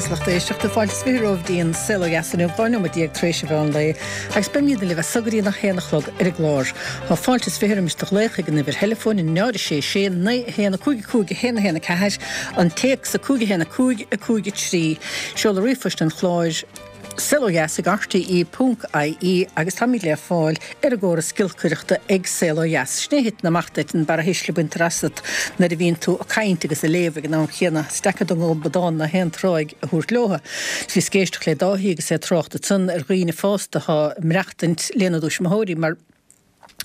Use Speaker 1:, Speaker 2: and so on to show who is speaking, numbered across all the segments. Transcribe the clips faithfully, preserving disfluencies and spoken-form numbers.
Speaker 1: agus lucht éisteachta fáilte is fiche romhaibh go dtí an Saol Ó Dheas inniu dhá nóiméad déag tar éis an mheán lae agus beimid libh as seo go dtí a haon a chlog ar an gclár. Tá fáilte is fiche roimis do ghlaoch ag an uimhir theileafóin náid a sé sé naoi a haon a cúig a cúig a haon a haon a ceathair an téacs a cúig a haon a cúig a cúig a trí seoladh ríomhphoist an chláir Saol Ó Dheas ag RTE ponc IE agus táimid le fáil ar an gcóras giolcaireachta ag Saol Ó Dheas. Sin é a thiteann amach duit an barrathuisle baintear asat nuair a bhíonn tú ag caint agus ag léamh ag an am chéanna. Is deacair don ghobadán ná haon tráigh a thabhairt leotha. Bhíos ag éisteacht le Dáithí agus é ag trácht ansan ar dhaoine fásta atá ag maireachtaint lena dtuismitheoirí mar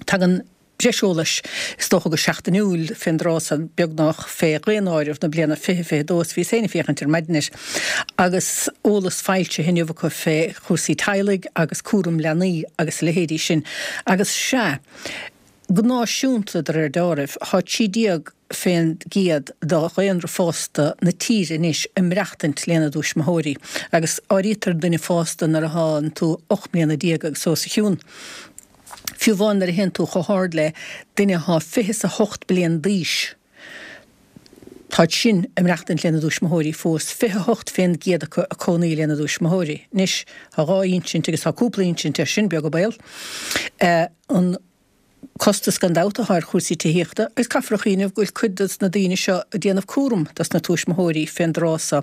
Speaker 1: tagann breis eolais, is dócha go seachtainiúil, fén dtráth san, beagnach, fé Dhaonáireamh na bliana fiche fiche dó, is bhíos féin ag féachaint ar maidin air, agus eolas foilsithe inniu acu fé chúrsaí teaghlaigh agus cúram leanaí agus a leithéidí sin. Agus sea, go náisiúnta, de réir deáraimh, thá trí déag fén gcéad de dhaonra fásta na tíre anois ag maireachtaint lena dtuismitheoirí, agus áirítear duine fásta nuair a thánn tú ocht mbliana déag agus os a chionn. Fiú amháin nuair a théann tú chomh hard le duine athá fiche is a hocht bliain d'aois, táid sin ag maireachtaint lena dtuismitheoirí fós, fiche a hocht fén gcéad acu ag cónaí lena dtuismitheoirí. Anois, tá dhá insint agus tá cúpla insint air sin, beag an baol. An costas gan dabht athá ar chúrsaí tithíochta agus caithfear a chuimhneamh go bhfuil cuid dos na daoine seo ag déanamh cúram dos na tuismitheoirí fén dtráth so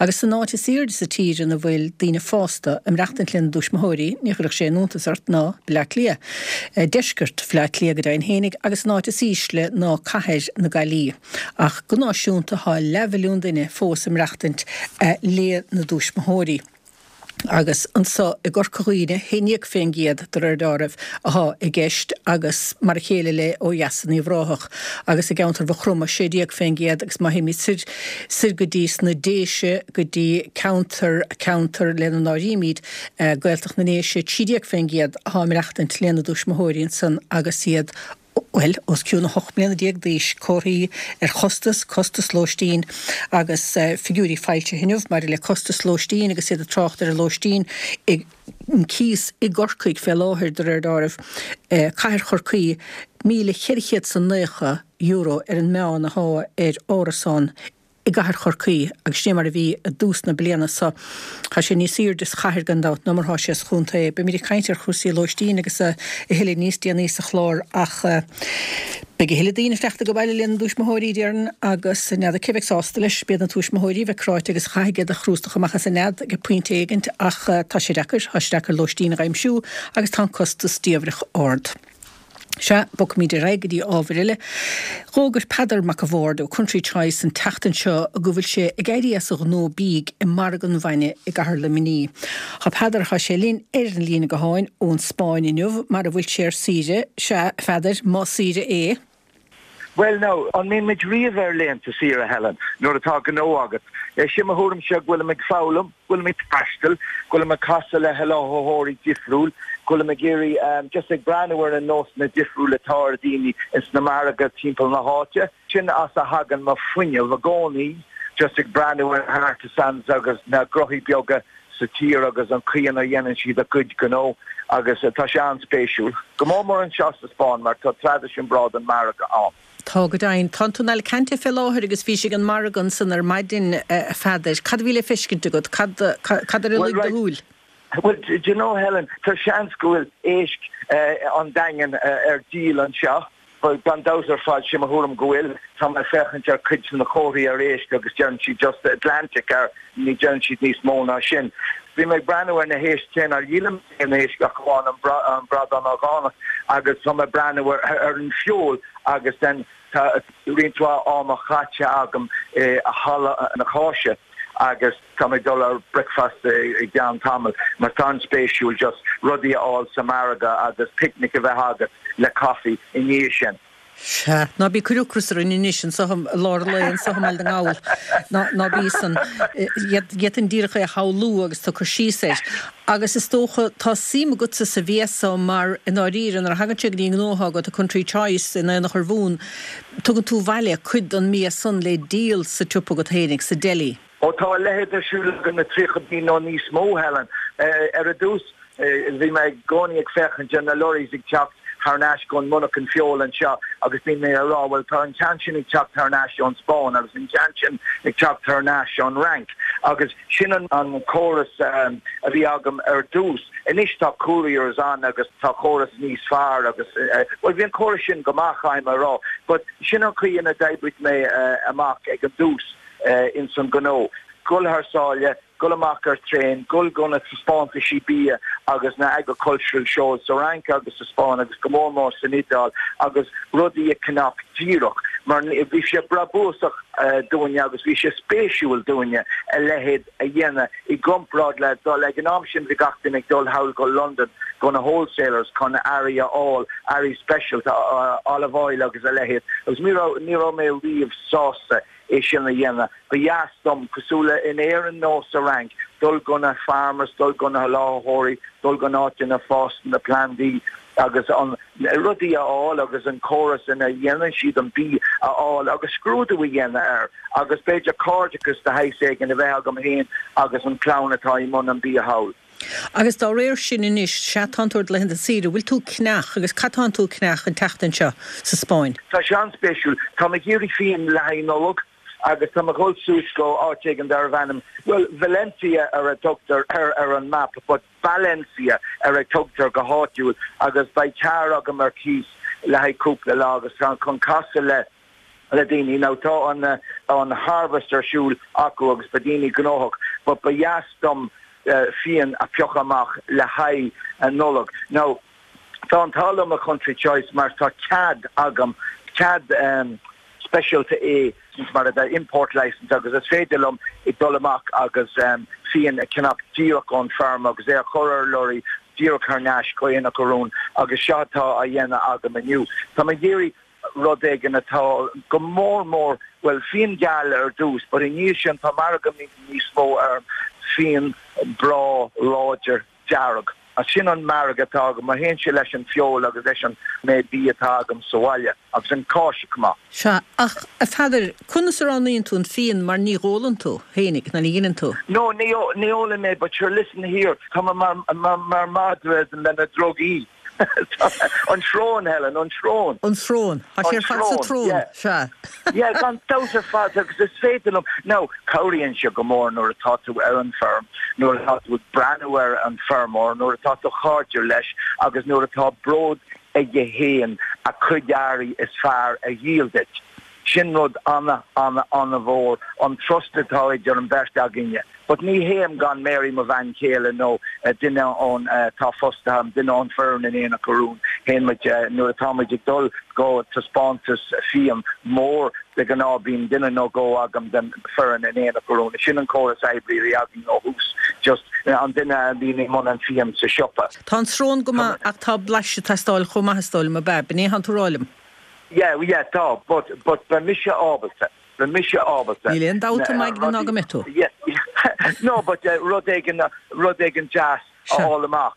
Speaker 1: agus san áit is aoirde sa tír ina bhfuil daoine fásta ag maireachtaint lena dtuismitheoirí ní chuirfeadh sé aon iontas ort ná Bleá Cliath, deisceart Bhleá Cliath go deimhin fhéinig agus an áit is ísle ná cathair na Gaillí. Ach go náisiúnta thá leathmhilliún duine fós ag maireachtaint lena dtuismitheoirí. Agus anso i gCorca Dhuibhne, haon déag fén gcéad, de réir deáraimh, athá i gceist, agus mar a chéile le ó dheas in Uíbh Ráthach, agus i gceantar Mhaigh Chromtha, sé déag fén gcéad, agus má théimid soir, soir go dtí sna Déise, go dtí ceantar, ceantar lena n-áirímid Gaeltacht na nDéise, trí déag fén gcéad athá ag maireachtaint lena dtuismitheoirí ansan agus iad bhuel, os cionn a hocht mbliana déag d'aois, comharthaí ar chostas, costas lóistín agus figiúirí foilsithe inniu maidir le costas lóistín agus iad ag trácht ar an lóistín i an cíos i gCorcaigh fé láthair, de réir deáraimh, cathair Chorcaí, míle cheithre chéad 's a naocha euro ar an meán athá ar árasán i gcathair Chorcaí agus sin é mar a bhí i dtús na bliana so. Tá sé níos aoirde sa chathair gan dabht ná mar thá sé sa chontae. Beimid ag caint ar chúrsaí lóistín agus a thuilleadh níos déanaí sa chlár ach beidh a thuilleadh daoine ag teacht ag baile lena dtuismitheoirí déarfainn agus n'fheadar cé bheidh sásta leis. B'iad na tuismitheoirí a bheidh cráite agus chaithfidh iad a chrústach amach as an nead ag pointe éigint ach tá sé deacair, tá sé deacair lóistín a dh'aimsiú agus tá an costas diamhrach ard. Sea, bogfaimid ar aghaidh go dtí ábhair eile. Dh'fhógair Peadar Mac a' Bhaird ó Country Choice an tseachtain seo go bhfuil sé ag éirí as a ghnó bídh i Margadh an Bhainne i gCathair Luimnigh. Tá Peadar, tá sé linn ar an líne gutháin ón Spáinn inniu mar a bhfuil sé ar saoire, sea, a Pheadair, más saoire é.
Speaker 2: Bhuel now, an mbíonn muid riamh ar laethanta saoire, Helen, nuair atá gnó agat? Sin mo thuairimse, go bhfuilim ag foghlaim, go bhfuilim ag taisteal, go bhfuilim ag casadh le sholáthaitheoirí difriúil, go bhfuilim ag iarraidh, just ag breathnú ar na nósanna difriúil atá ar daoine ins na margaidh timpeall na háite. Sin as a thagann mo fuinneamh i gcónaí, just ag breathnú ar na artisans agus na gnóthaí beaga sa tír agus an chaoi ina dhéanann siad a gcuid gnó agus tá sé an-spéisiúil. Go mór mór anseo sa Spáinn mar tá traidisiún breá den margadh ann.
Speaker 1: Tá go deimhin. Tánn tú in Alicante fé láthair agus bhís ag an margadh ansan ar maidin, a Pheadair. Cad a bhí le feiscint agat? Cad cad ar a
Speaker 2: Bhuel
Speaker 1: luigh do
Speaker 2: right,
Speaker 1: shúil?
Speaker 2: bhuel do you know Helen, tá seans go bhfuil éisc an Daingin ar díol anseo. Bhuel, gan dabht ar fad, sé mo thuairim go bhfuil. Tá mé ag féachaint ar cuid de na comharthaí ar éisc agus deireann siad just Atlantic air, ní deireann siad níos mó ná sin. Bhí mé ag breathnú ar na héisc cé nár dhíolaim aon éisc ach amháin an bradán orgánach agus tá mé ag breathnú ar an feoil agus then tá roinnt mhaith ama caite agam i halla na cáise agus Tá mé ag dul ar bricfeasta i gceann tamaill mar tá an-spéisiúil just rudaí a fháil sa margadh agus picnic a bheith agat le coffee i ndiaidh sin.
Speaker 1: Sea, ná bí ag cur ocras orainn anois anseo i lár an lae anseo i mBaile na nGall. Ná, ná bí san. D'fhéadfainn díreach é a shamhlú agus tú ag cur síos air. Agus is dócha, tá suim agatsa sa bhia so mar, i ndáiríre, nuair a thagann sé go dtí an gnó atá agat, an Country Choice in Aonach Urmhumhan, tugann tú abhaile cuid den mbia san le díol sa tsiopa agat fhéinig, sa deli.
Speaker 2: Ó tá a leithéid ar siúl agam le tríocha bliain nó níos mó, Helen. Ar dtús, bhí mé i gcónaí ag féachaint ar na lorries ag teacht thar n-ais ón monarchan feoil anseo agus bíonn mé ag rá, bhuel tá an ceann sin ag teacht thar n-ais ón Spáinn agus an ceann sin ag teacht thar n-ais ón Fhrainc agus sin an an córas um, a bhí agam ar dtús. Anois tá couriers ann agus tá córas níos fearr agus uh, well bhí an córas sin go maith caithfidh mé a rá, but sin an chaoi ina d'oibrigh mé uh, amach ag an dtús uh, in san gnó. Gul thar sáile, gul amach ar traein, gul go na taispeántaisí bia agus na agricultural shows sa Fhrainc agus sa Spáinn agus go mór mór san Iodáil agus rudaí a cheannach díreach. Mar bhí sé brabúsach uh, dúinne agus bhí sé spéisiúil dúinne a leithéid a dhéanamh i gcomparáid le dul ag an am sin bhí gach duine ag dul thall go London go na wholesalers chun earraí a fháil earraí special uh, olive oil agus a leithéid. Agus ní raibh mé riamh sásta é sin a dhéanamh. Ba dheas dom cosúil le in Éirinn nó sa Fhrainc, dul go na farmers, dul go na láthóirí, dul go áit ina bhfásann na plandaí agus an rudaí a fháil agus an córas ina dhéanann siad an bia a fháil agus scrúdú a dhéanamh air agus b'fhéidir cairdeachas de shaghas éigin a bheith agam féin agus an clann atá i mbun an bia thall.
Speaker 1: Agus dá réir sin anois sea tánn tú ar laethanta saoire, bhfuil tú ag ceannach agus cad tánn tú ag ceannach an tseachtain seo sa Spáinn.
Speaker 2: Tá sé an-spéisiúil Tá mé ag iarraidh fíon le haghaidh Nollag agus tá mé ag dul suas go áit éigin darbh ainm. Well Valencia ar a tugtar ar ar an map, but Valencia ar a tugtar go háitiúil agus beidh carr agam ar cíos le haghaidh cúpla lá agus chun casadh le le daoine now tá an an harvest ar siúl acu agus beidh daoine gnóthach, but ba dheas dom uh, fíon a phiocadh amach le haghaidh an Nollag. Now tá an t-ádh liom i Country Choice mar tá cead agam cead um, speisialta é mar a import license agus is féidir liom i dul amach agus um, fíon a cheannach díreach ón farm agus é a chur ar lorry díreach thar n-ais go Aonach Urumhan agus seo atá á dhéanamh agam inniu. Tá mé ag iarraidh rud éigin atá go mór mór well fíon geal ar dtús, but i ndiaidh sin tá margadh níos mó ar fíon breá láidir dearg. A sin an margadh atá agam théann sé leis an feoil agus leis an méid bia atá agam sa bhaile agus an cáis cuma.
Speaker 1: Sea ach a Pheadair conas a roghnaíonn tú an fíon mar ní ólann tú féinig ná ní dhéanann tú.
Speaker 2: No ní ní ólann mé, but sure listen here tá mar mar mar madra lena drugaí. An srón Helen an srón.
Speaker 1: An srón Tá sé fad sa tsrón sea.
Speaker 2: Yeah gan dabht ar fad agus is féidir liom now cabhraíonn sé go mór nuair atá tú ar an farm nuair atá tú breathnú ar an feirmeoir nuair atá tú cairdiúil leis agus nuair atá bród aige féin a chuid earraí is fearr a dhíol duit. Sin rud an- an- an-mhór an trust atá idir an bheirt againne. But ní théim gan Mary mo bhean chéile nó uh, duine ón uh, tá fostaithe an duine ón bhfoireann in Aonach Urumhan théann muid uh, nuair atá muid ag dul go taispeántas fíon mór de ghnáth bíonn duine nó dhó agam den fhoireann in Aonach Urumhan. Sin an córas oibre a bhí againn ó thús just uh, an duine a bhíonn i mbun an fíon sa siopa.
Speaker 1: Tá an srón go maith ach tá blaiseadh ag teastáil chomh maith is dóigh liom ab ea an tú rálim.
Speaker 2: Yeah, yeah, tá, but but ba mise ábalta. Ba mise ábalta.
Speaker 1: Níl aon dabht ná go mbeidh tú.
Speaker 2: Yeah, no, but uh, rud éigin rud éigin deas a fháil amach.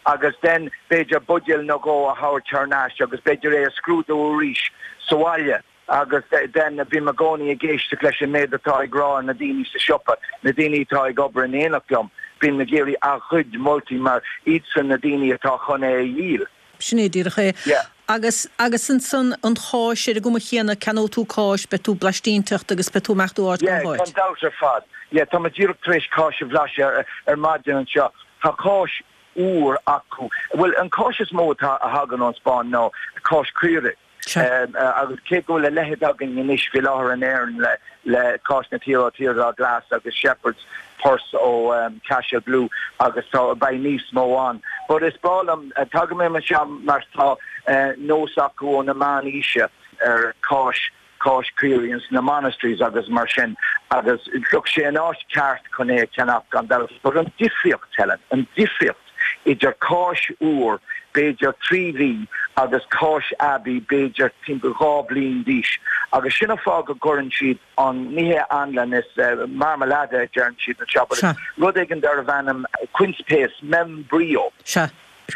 Speaker 2: Agus then b'fhéidir buidéal nó dhó a thabhairt thar n-ais agus b'fhéidir é a scrúdú arís sa bhaile. agus den bím i gcónaí ag éisteacht leis an méid atá ag rá na daoine sa siopa, na daoine atá ag obair in éineacht liom, bím ag iarraidh a gcuid moltaí mar iadsan na daoine atá chun é a dhíol.
Speaker 1: Sin é díreach é.
Speaker 2: Yeah.
Speaker 1: Agus agus ansan an cháis ar an gcuma chéanna ceannóidh tú cáis beidh tú blaistínteacht agus beidh tú ag imeacht ó áit go
Speaker 2: Yeah,
Speaker 1: háit.
Speaker 2: gan dabht ar fad. Yeah, tá mé díreach tar éis cáis a bhlaiseadh ar, ar maidin anseo. Tá cáis úr acu. Well an cáis is mó atá a thagann ón Spáinn ná cáis caorach.
Speaker 1: Sea.
Speaker 2: Um, uh, agus cé go bhfuil a leithéid againn anois faoi láthair in Éirinn le le cáis na tíre Tír Glas agus Shepherd's Purse ó um, Cashel Blue agus tá beidh níos mó ann. But is breá liom uh, tagaim anseo mar tá uh, nós acu ó na meánaoise ar cáis cáis caorach na monasteries agus mar sin agus look sé an áit ceart chun é cheannach gan dabht. But an difríocht Helen, an difríocht idir cáis úr b'fhéidir trí mhí agus cáis aibí b'fhéidir timpeall dhá bliain d'aois. Agus sin an fáth go gcuireann siad an ní hé anlann is uh, marmalade deireann siad na
Speaker 1: Sea.
Speaker 2: shop rud éigin darbh ainm quince paste membrillo.
Speaker 1: Sea.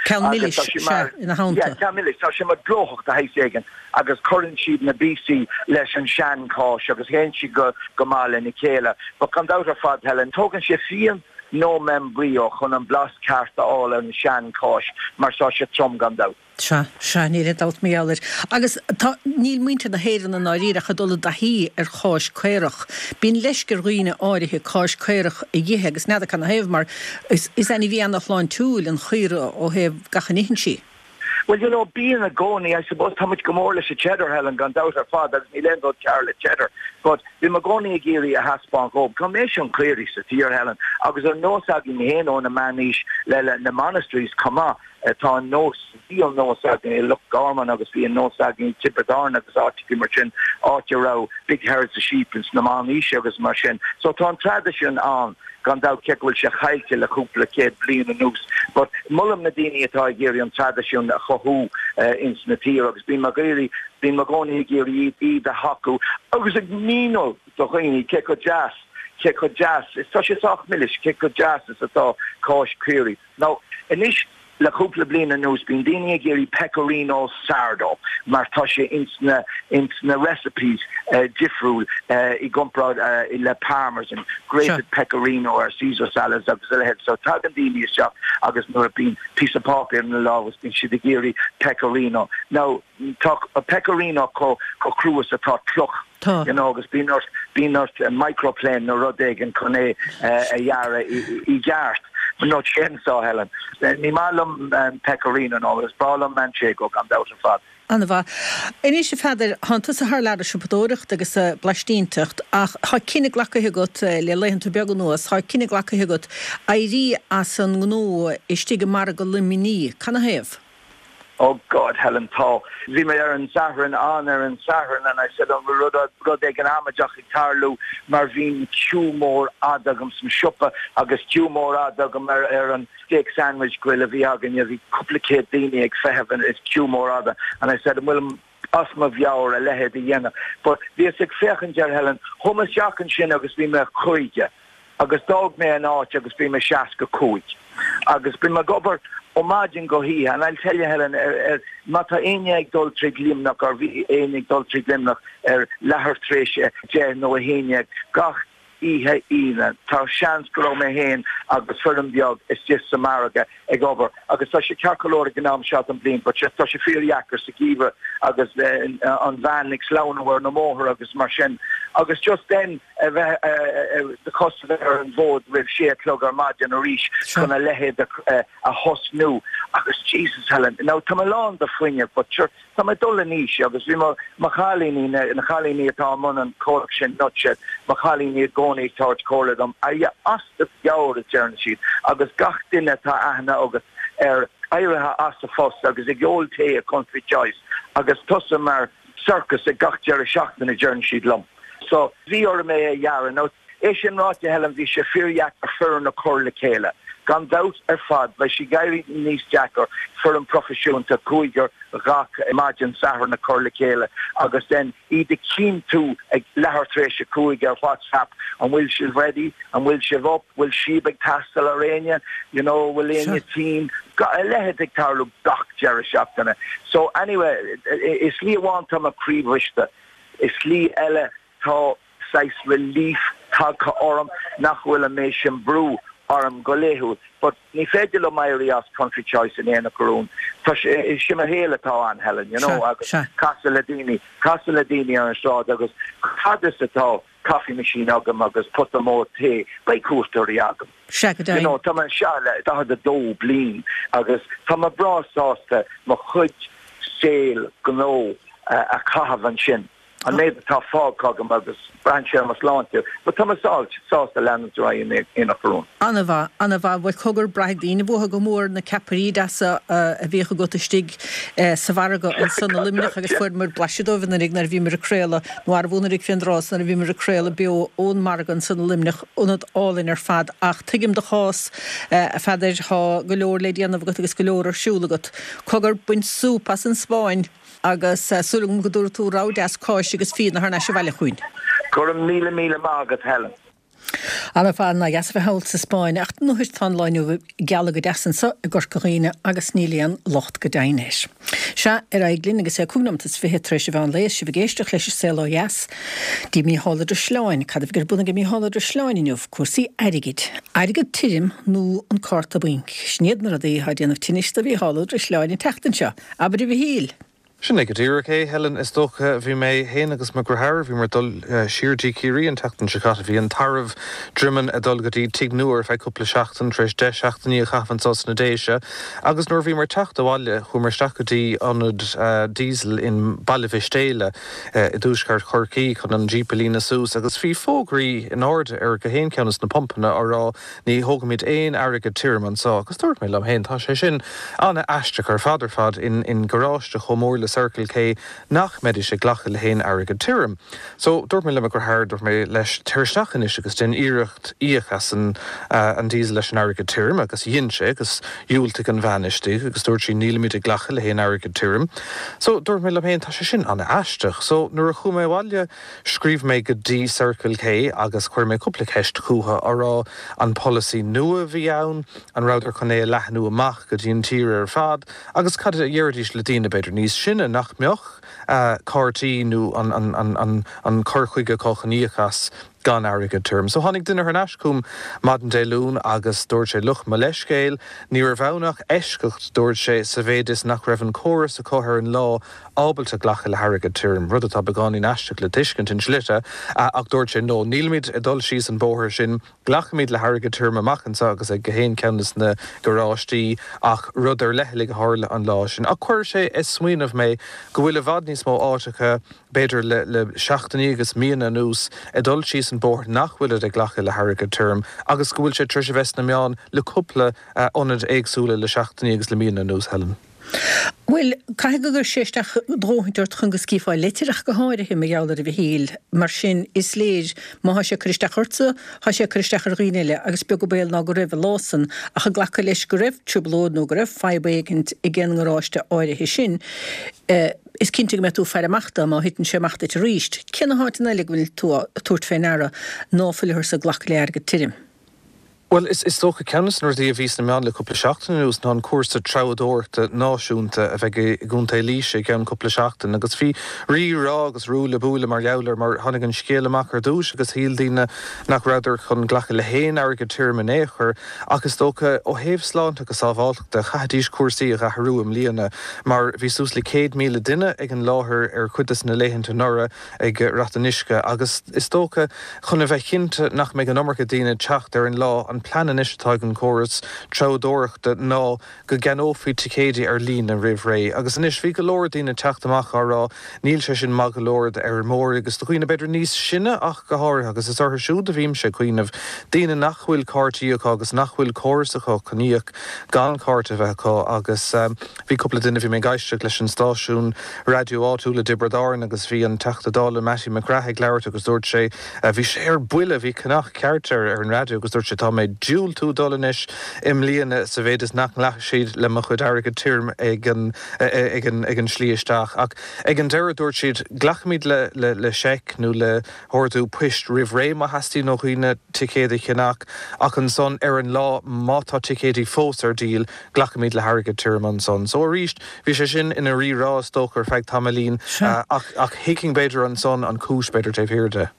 Speaker 1: Ceann milis sea ina theannta.
Speaker 2: Ceann milis tá sé mar glóthach de shaghas éigin agus cuireann siad na píosaí leis an seancháis agus théann sí go go maith lena chéile. Ba gan dabht ar fad Helen tógann sé fíon nó membrillo chun an blas ceart a fháil an seancháis mar tá sé trom gan dabht.
Speaker 1: Sea, sea, níl aon dabht mar gheall air. Agus tá, níl muintir na hÉireann i ndáiríre ach ag dul i dtaithí ar cháis caorach. Bíonn leisce ar dhaoine áirithe cáis caorach a dh'ithe agus n'fheadar canathaobh mar is, is ainmhí ana-shláintiúil an chaora ó thaobh gach a n-itheann sí.
Speaker 2: Well, you know, bíonn i gcónaí, I suppose, tá muid go mór leis an cheddar, Helen, gan dabht ar fad, agus níl aon rud cearr le cheddar, but bím i gcónaí ag iarraidh a thaispeáint dhóibh go mbíodh an caoirigh sa tír, Helen, agus ar nós againn féin ó na meánaois le, le na monasteries chomh maith, tá an nós, bhí an nós againn i Loch Garman agus bhí an nós againn i Tiobraid Árann agus áiteachaí mar sin, áit a raibh big herds of sheep ins na meánaoise agus mar sin. So tá an traidisiún ann. Gan dabht, cé go bhfuil sé caillte le cúpla céad bliain anuas, but molaim na daoine atá ag iarraidh an traidisiún a chothú ins na tír agus bím ag iarraidh, bím i gcónaí ag iarraidh iad a thacú agus ag míniú do dhaoine cé chomh deas, cé chomh deas, is tá sé sách milis, cé chomh deas is atá cáis caoirigh. Now, anois, Le cúpla bliain anuas bíonn daoine ag iarraidh pecorino sardo mar tá sé ins na ins na recipes difriúil i gcomparáid le parmesan, grated pecorino ar Caesar salads agus a leithéid. So tagann daoine isteach agus nuair a bíonn píosa páipéir ina lámh is bíonn siad ag iarraidh pecorino. Now tá pecorino chomh chomh crua is atá cloch.
Speaker 1: Tá.
Speaker 2: You know, agus bíonn ort, bíonn ort microplane nó rud éigin chun é a ghearradh i gceart. Nó chainsaw, Helen. Ní maith liom pecorino nó is breá liom manchego gan dabht ar fad.
Speaker 1: An-mhaith. Anois, a Pheadair, thánn tusa thar lear ag siopadóireacht agus ag blaistínteacht ach tá cinneadh glactha agat le laethanta beaga anuas, tá cinneadh glactha agat éirí as an ngnó istigh i margadh Luimnigh. Canathaobh?
Speaker 2: Oh God, Helen, tá. Bhí mé ar an Satharn, ann ar an Satharn and I said an bhfuil rud, rud éigin amaideach ag tarlú mar bhí queue mór fhada agam san siopa agus queue mór fhada agam ar, ar an steak sandwich grill a bhí againne, bhí cúpla céad daoine ag feitheamh and it's queue mór fhada and I said an bhfuilim as mo mheabhair a leithéid a dhéanamh. But bhíos ag féachaint air, Helen, chuaigh mé isteach ansin agus bhí mé caoga. Agus d'fhág mé an áit agus bhí mé seasca cúig. Agus bím ag obair ó maidin go hoíche and I'll tell you Helen, ar, ar, má tá éinne ag dul tríd Luimneach or bhí éinne ag dul tríd Luimneach ar leathuair tar éis a deich nó a haon déag gach oíche Aoine, tá seans go raibh mé féin agus foireann beag istigh sa margadh ag obair. Agus tá sé ceart go leor ag an am seo den bhliain but tá sé fíordheacair sa gheimhreadh agus an veain ag sleamhnú ar na mbóithre agus mar sin. Agus just then a bheith do chos a bheith ar an bhfód roimh sé a chlog ar maidin arís chun a leithéid a thosnú. Agus Jesus Helen, now tá mé lán de fuinneamh but sure tá mé ag dul in aois agus bhí mo mo chailíní, na na cailíní atá i mbun an comhlacht sin Nutshed, mo chailíní i gcónaí ag tabhairt comhairle dom, are you as do mheabhair a deireann siad agus gach duine atá aithne agat air éirithe as a phost agus ag ól tae i Country Choice agus tusa mar circus ag gach deireadh seachtaine deireann siad liom. So bhí orm é a ghearradh. Now é sin ráite Helen bhí sé fíordheacair foireann a chur le chéile. Gan dabht ar fad beidh sé ag éirí níos deacair foireann proifisiúnta cúigear gach maidin Sathairn a chur le chéile agus then iad a chinntiú ag leathuair tar éis a cúig ar WhatsApp, an bhfuil sibh ready, an bhfuil sibh up, bhfuil síob ag teastáil ar éinne, you know, bhfuil éinne tinn, a leithéid ag tarlú gach deireadh seachtaine. So anyway, i slí amháin tá mé croíbhriste, i slí eile tá saghas relief tagtha orm nach bhfuil an méid sin brú orm go laethúil. But ní féidir liom éirí as Country Choice in Aonach Urmhumhan. Tá sé, sin mo shaol atá ann, Helen, you know, agus casadh le daoine, casadh le daoine ar an sráid agus fad is atá coffee machine agam agus pota mór tae, beidh cuairteoirí agam.
Speaker 1: Sea, go
Speaker 2: You
Speaker 1: deimhin.
Speaker 2: know, tá mé anseo le daichead a dó bliain agus tá mé breá sásta mo chuid saoil gnó a chaitheamh ansin. An méid atá fágtha agam agus braitheann sé ar mo shláinte, but tá mé sásta leanúint ar aghaidh in Aonach Urmhumhan.
Speaker 1: An-mhaith, an-mhaith. Bhuel, cogar, braithfidh daoine uathu go mór na ceapairí deasa a bhíodh agat istigh sa mhargadh ansan i Luimneach agus fuaireamar blaiseadh dóibh anuraidh nuair a bhíomar ag craoladh, nó arbh anuraidh fén dtráth san nuair a bhíomar ag craoladh beo ón margadh ansan i Luimneach, ionad álainn ar fad. Ach tuigim do chás, a Pheadair, tá go leor le déanamh agat agus go leor ar siúl agat. Cogar, bain súp as an Spáinn! Agus súil agam go dtabharfaidh tú rogha deas cáise agus fíona thar n-ais abhaile chugainn.
Speaker 2: Go raibh míle míle maith agat Helen.
Speaker 1: Ana-fhearr ná dheas a bheith thall sa Spáinn ach nuair tá an lá inniu geal go deas anseo i gCorca Dhuibhne agus níl aon locht go deimhin air. Sea, ar aghaidh linn agus é cúig nóiméad is fiche tar éis an mheán lae is sibh ag éisteacht leis an Saol Ó Dheas. Dtí Mícheál Ó Drisleáin. Cad a bheidh ar bun ag Mícheál Ó Drisleáin inniu? Cúrsaí airgid. Airgead tirim nó an cárta bainc. Sin iad na rudaí atá ag déanamh tinnis do Mhícheál Ó Drisleáin an tseachtain seo. Abair a Mhichíl!
Speaker 3: Sin é go díreach é, Helen, is dócha. Bhí mé fhéin agus mo dheartháir, bhíomar ag dul siar dtí Ciarraí an tseachtain seo caite. Bhí an tarbh Droimeann ag dul go dtí tigh nua ar feadh cúpla seachtain, tar éis deich seachtainí a chaitheamh anso sna Déise. Agus nuair a bhíomar ag teacht abhaile, chuamar isteach go dtí ionad diesel in Baile Mhistéala i dtuaisceart Chorcaí chun an Jeep a líonadh suas agus bhí fógraí in airde ar gach aon cheann de na pumpanna á rá ní thógaimid aon airgead tirim anso. Agus dúirt mé liom fhéin, tá sé sin an-aisteach ar fad ar fad in in garáiste chomh mór le Circle K nach mbeidís ag glacadh le haon airgead tirim. So dúirt mé le mo dheartháir, dúirt mé leis, téir isteach anois agus déan iarracht íoc as an an diesel leis an airgead tirim agus dhein sé agus dhiúltaigh an bhean istigh agus dúirt sí nílimid ag glacadh le haon airgead tirim. So dúirt mé liom féin, tá sé sin an-aisteach. So nuair a chuaigh mé abhaile scríobh mé go dtí Circle K agus chuir mé cúpla ceist chucu á rá an polasaí nua a bhí ann, an rabhadar chun é a leathnú amach go dtí an tír ar fad agus cad a dhéarfaidís le daoine b'fhéidir níos sine nach mbeadh cártaí nó an cur chuige acu chun íoc as gan airgead tirim. So tháinig duine thar n-ais chugam maidin Dé Luain agus dúirt sé look, mo leithscéal, ní raibh ann ach eisceacht, dúirt sé, sa mhéid is nach raibh an córas acu ar an lá ábalta glacadh le hairgead tirim, rud atá beagáinín aisteach le tuiscint in slite, ach dúirt sé no, nílimid ag dul síos an bóthar sin, glacfaimid le hairgead tirim amach anseo agus ag gach aon cheann de na garáistí ach rud ar leithligh a tharla an lá sin. Ach chuir sé ag smaoineamh mé go bhfuil i bhfad níos mó áiteacha, b'fhéidir le le seachtainí agus míonna anuas, ag dul síos an bóthar nach bhfuilid ag glacadh le hairgead tirim agus go bhfuil sé tar éis a bheith sna meáin le cúpla ionad éagsúla le seachtainí agus le míonna anuas, Helen.
Speaker 1: Bhuel, caithfidh go gcuir sé isteach a dhóthaint ort chun go scríofá litir ach go háirithe, mar gheall air a Mhichíl. Mar sin, is léir, má thá sé ag cur isteach ortsa, thá sé ag cur isteach ar dhaoine eile, agus beag an baol ná go raibh an lá san, ach ag glacadh leis go raibh trioblóid nó go raibh fadhb éigint ag an ngaráiste áirithe sin, is cinnte go mbeidh tú ag faire amach dó má thiteann sé amach duit arís. Cé na háiteanna eile go bhfuil tú ag tabhairt fé ndeara ná fuileatharsa ag glacadh le airgead tirim?
Speaker 3: Bhuel, is dócha ceann de na rudaí a bhí sna meáin le cúpla seachtain anuas ná an cúrsa treabhdóireachta náisiúnta a bheidh i gContae Laoise i gceann cúpla seachtain agus bhí rí rá agus ruaille buaille mar gheall air mar tháinig an scéal amach ar dtús agus shíl daoine nach rabhadar chun glacadh le haon airgead tirim in aon chor ach is dócha ó thaobh sláinte agus sábháilteachta chaithfidís cúrsaí a dh'athrú i mbliana mar bhí suas le céad míle duine ag an láthair ar chuid de na laethanta anuraidh ag Rath an Uisce agus is dócha chun a bheith cinnte nach mbeidh an iomarca daoine ag teacht ar an lá, an plean anois atá ag an gcóras treabhdóireachta ná go gceannófaí ticéidí ar líne roimh ré agus anois bhí go leor daoine ag teacht amach á rá níl sé sin maith go leor d'fheirmeoirí agus do dhaoine b'fhéidir níos sine ach go háirithe agus is orthu siúd a bhímse ag cuimhneamh, daoine nach bhfuil cártaí acu agus nach bhfuil córas acu chun íoc gan cárta a bheith acu agus bhí cúpla duine, bhí mé ag éisteacht leis an stáisiún raidió áitiúil i dTiobraid Árann agus bhí an Teachta Dála Mattie McGrath ag labhairt agus dúirt sé, bhí sé ar buile, bhí conach ceart air ar an raidió agus dúirt sé tá mé ag diúltú dul anois i mbliana sa mhéid is nach nglacfaidh siad le mo chuid airgead tirim ag an ag an ag an slí isteach. Ach ag an deireadh dúirt siad glacfaimid le le le seic nó le hordú poist roimh ré má theastaíonn ó dhaoine ticéad a cheannach ach ansan ar an lá má tá ticéidí fós ar díol glacfaimid le hairgead tirim ansan. So arís bhí sé sin ina rí-rá is dócha ar feadh tamaillín ach ach thuigfinn b'fhéidir ansan an chúis b'fhéidir taobh thiar de.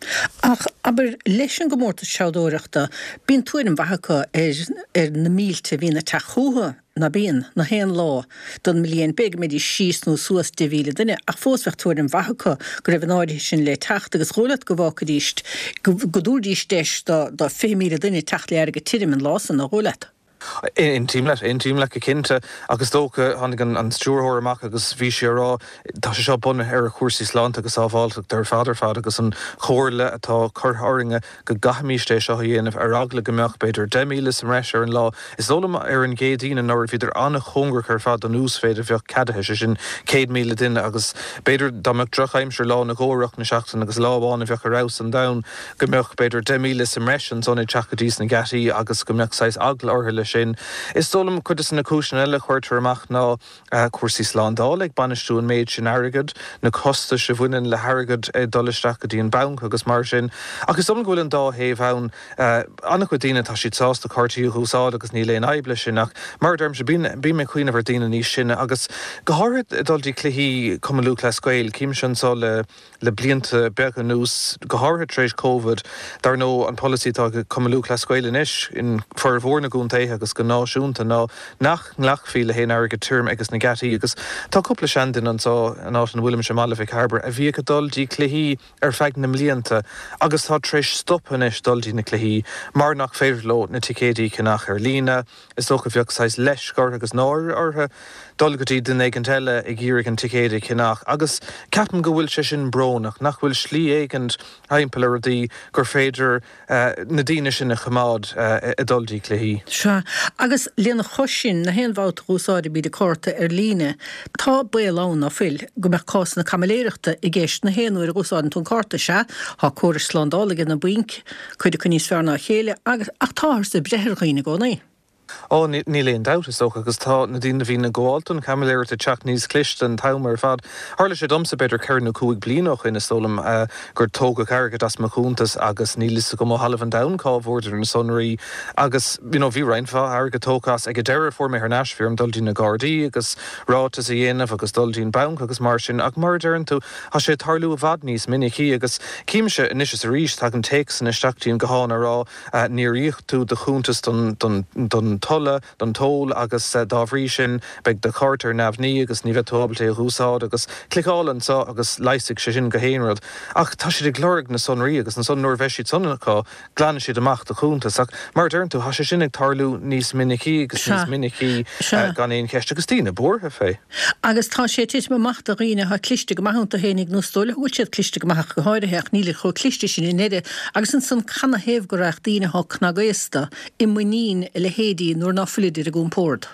Speaker 1: Ach abair leis an gcomórtas treabhdóireachta bíonn tuairim mhaith acu ar ar na mílte a bhíonn ag teacht chucu. ná bíonn, na haon lá don mbliain, b'fhéidir go mbeidís síos nó suas deich mhíle duine, ach fós bheadh tuairim mhaith acu go raibh an áirithe sin le teacht agus dhóigh leat go bhfágfaidís, go dtabharfaidís deis do do fiche míle duine teacht le airgead tirim an lá san, nár dhóigh leat?
Speaker 3: Aontaím leat, aontaím leat go cinnte ach is dócha, tháinig an stiúrthóir amach agus bhí sí ag rá, tá sé seo bunaithe ar chúrsaí sláinte agus sábháilteachta ar fad ar fad agus an chomhairle atá curtha orainne go gcaithfimíst é seo a dhéanamh ar eagla go mbeadh b'fhéidir deich míle sa mbreis ar an lá. Is dóigh liom ar an gCéadaoin anuraidh bhíodar an-chóngarach ar fad don uasmhéid a bheadh ceadaithe, sé sin céad míle duine agus b'fhéidir dá mbeadh drochaimsir lá nó dhó i rith na seachtaine agus lá amháin a bheadh ar fheabhas an domhan go mbeadh b'fhéidir deich míle sa mbreis ansan ag teacht go dtí sna geataí agus go mbeadh saghas eagla orthu leis leis sin. Is dóigh liom cuid de na cúiseanna eile a chuirtear amach ná cúrsaí slándála ag bainistiú an méid sin airgid, na costais a bhaineann le hairgead ag dul isteach go dtí an banc agus mar sin. Ach is dóigh liom go bhfuil an dá thaobh ann. An-chuid daoine tá siad sásta cártaí a úsáid agus níl aon fhadhb leis sin ach mar a deirimse bím bím ag cuimhneamh ar daoine níos sine agus go háirithe ag dul dtí cluichí Cumann Lúthchleas Gael, címse anseo le le blianta beaga anuas, go háirithe tar éis Covid, dar ndóigh an polasaí atá ag Cumann Lúthchleas Gael anois in formhór na gcontaetha agus go náisiúnta ná nach nglacfaí le haon airgead tirim agus na geataí agus tá cúpla seanduine anseo in áit ina bhfuilimse i mBaile Mhic Cairbre a bhíodh ag dul dtí cluichí ar feadh na mblianta agus tá tar éis stop anois dul dtí na cluichí mar nach féidir leo na ticéidí a cheannach ar líne. Is dócha bheadh saghas leisc orthu agus náire orthu dul go dtí duine éigint eile ag iarraidh an ticéad a cheannach agus ceapaim go bhfuil sé sin brónach, nach bhfuil slí éigint timpeall ar rudaí gur féidir na daoine sin a choimeád ag dul dtí cluichí.
Speaker 1: Sea, agus lena chois sin, na haon bhabhta a dh'úsáidimid cárta ar líne, tá baol ann, ná fuil, go mbeadh cásanna caimiléireachta i gceist na haon uair a dh'úsáideann tú an cárta. Sea, tá córais slándála ag na bainc, cuid acu níos fearr ná a chéile, agus, ach táthar ag breith ar dhaoine i gcónaí.
Speaker 3: Ó, níl aon dabht, is dócha, agus tá na daoine a bhíonn ag gabháil don chaimiléireacht ag teacht níos cliste an t-am ar fad. Tharla sé domsa b'fhéidir ceithre nó cúig bliana ó shin, is dóigh liom, gur tógadh airgead as mo chuntas agus níl fhios agam ó thalamh an domhain cá bhfuaireadar na sonraí agus you know bhí roinnt mhaith airgead tógtha as. Ag an deireadh fuair mé thar n-ais, bhí orm dul dtí na Gardaí agus ráiteas a dhéanamh agus dul dtí an banc agus mar sin ach mar a deireann tú, tá sé ag tarlú i bhfad níos minicí agus címse anois is arís tagann téacsanna isteach dtí an guthán ag rá níor íoc tú do chuntas don don don tolla, don toll agus dá bhrí sin beidh do chárta ar neamhní agus ní bheidh tú ábalta é a úsáid agus cliceáil anseo agus leigheasfaidh sé sin gach aon rud. Ach tá siad ag lorg na sonraí agus ansan nuair a bheidh siad san acu glanfaidh siad amach do chuntas. Ach mar a deireann tú tá sé sin ag tarlú níos minicí agus níos minicí gan aon cheist agus daoine buartha fé.
Speaker 1: Agus tá sé ag titim amach do dhaoine atá cliste go maith iontu fhéinig nó is dóigh leo go bhfuil siad cliste go maith ach go háirithe ach nílid chomh cliste sin i ndeireadh agus ansan canathaobh go raghadh daoine atá cnagaosta i muinín a leithéidí nuair ná fuilid ar a gcompord?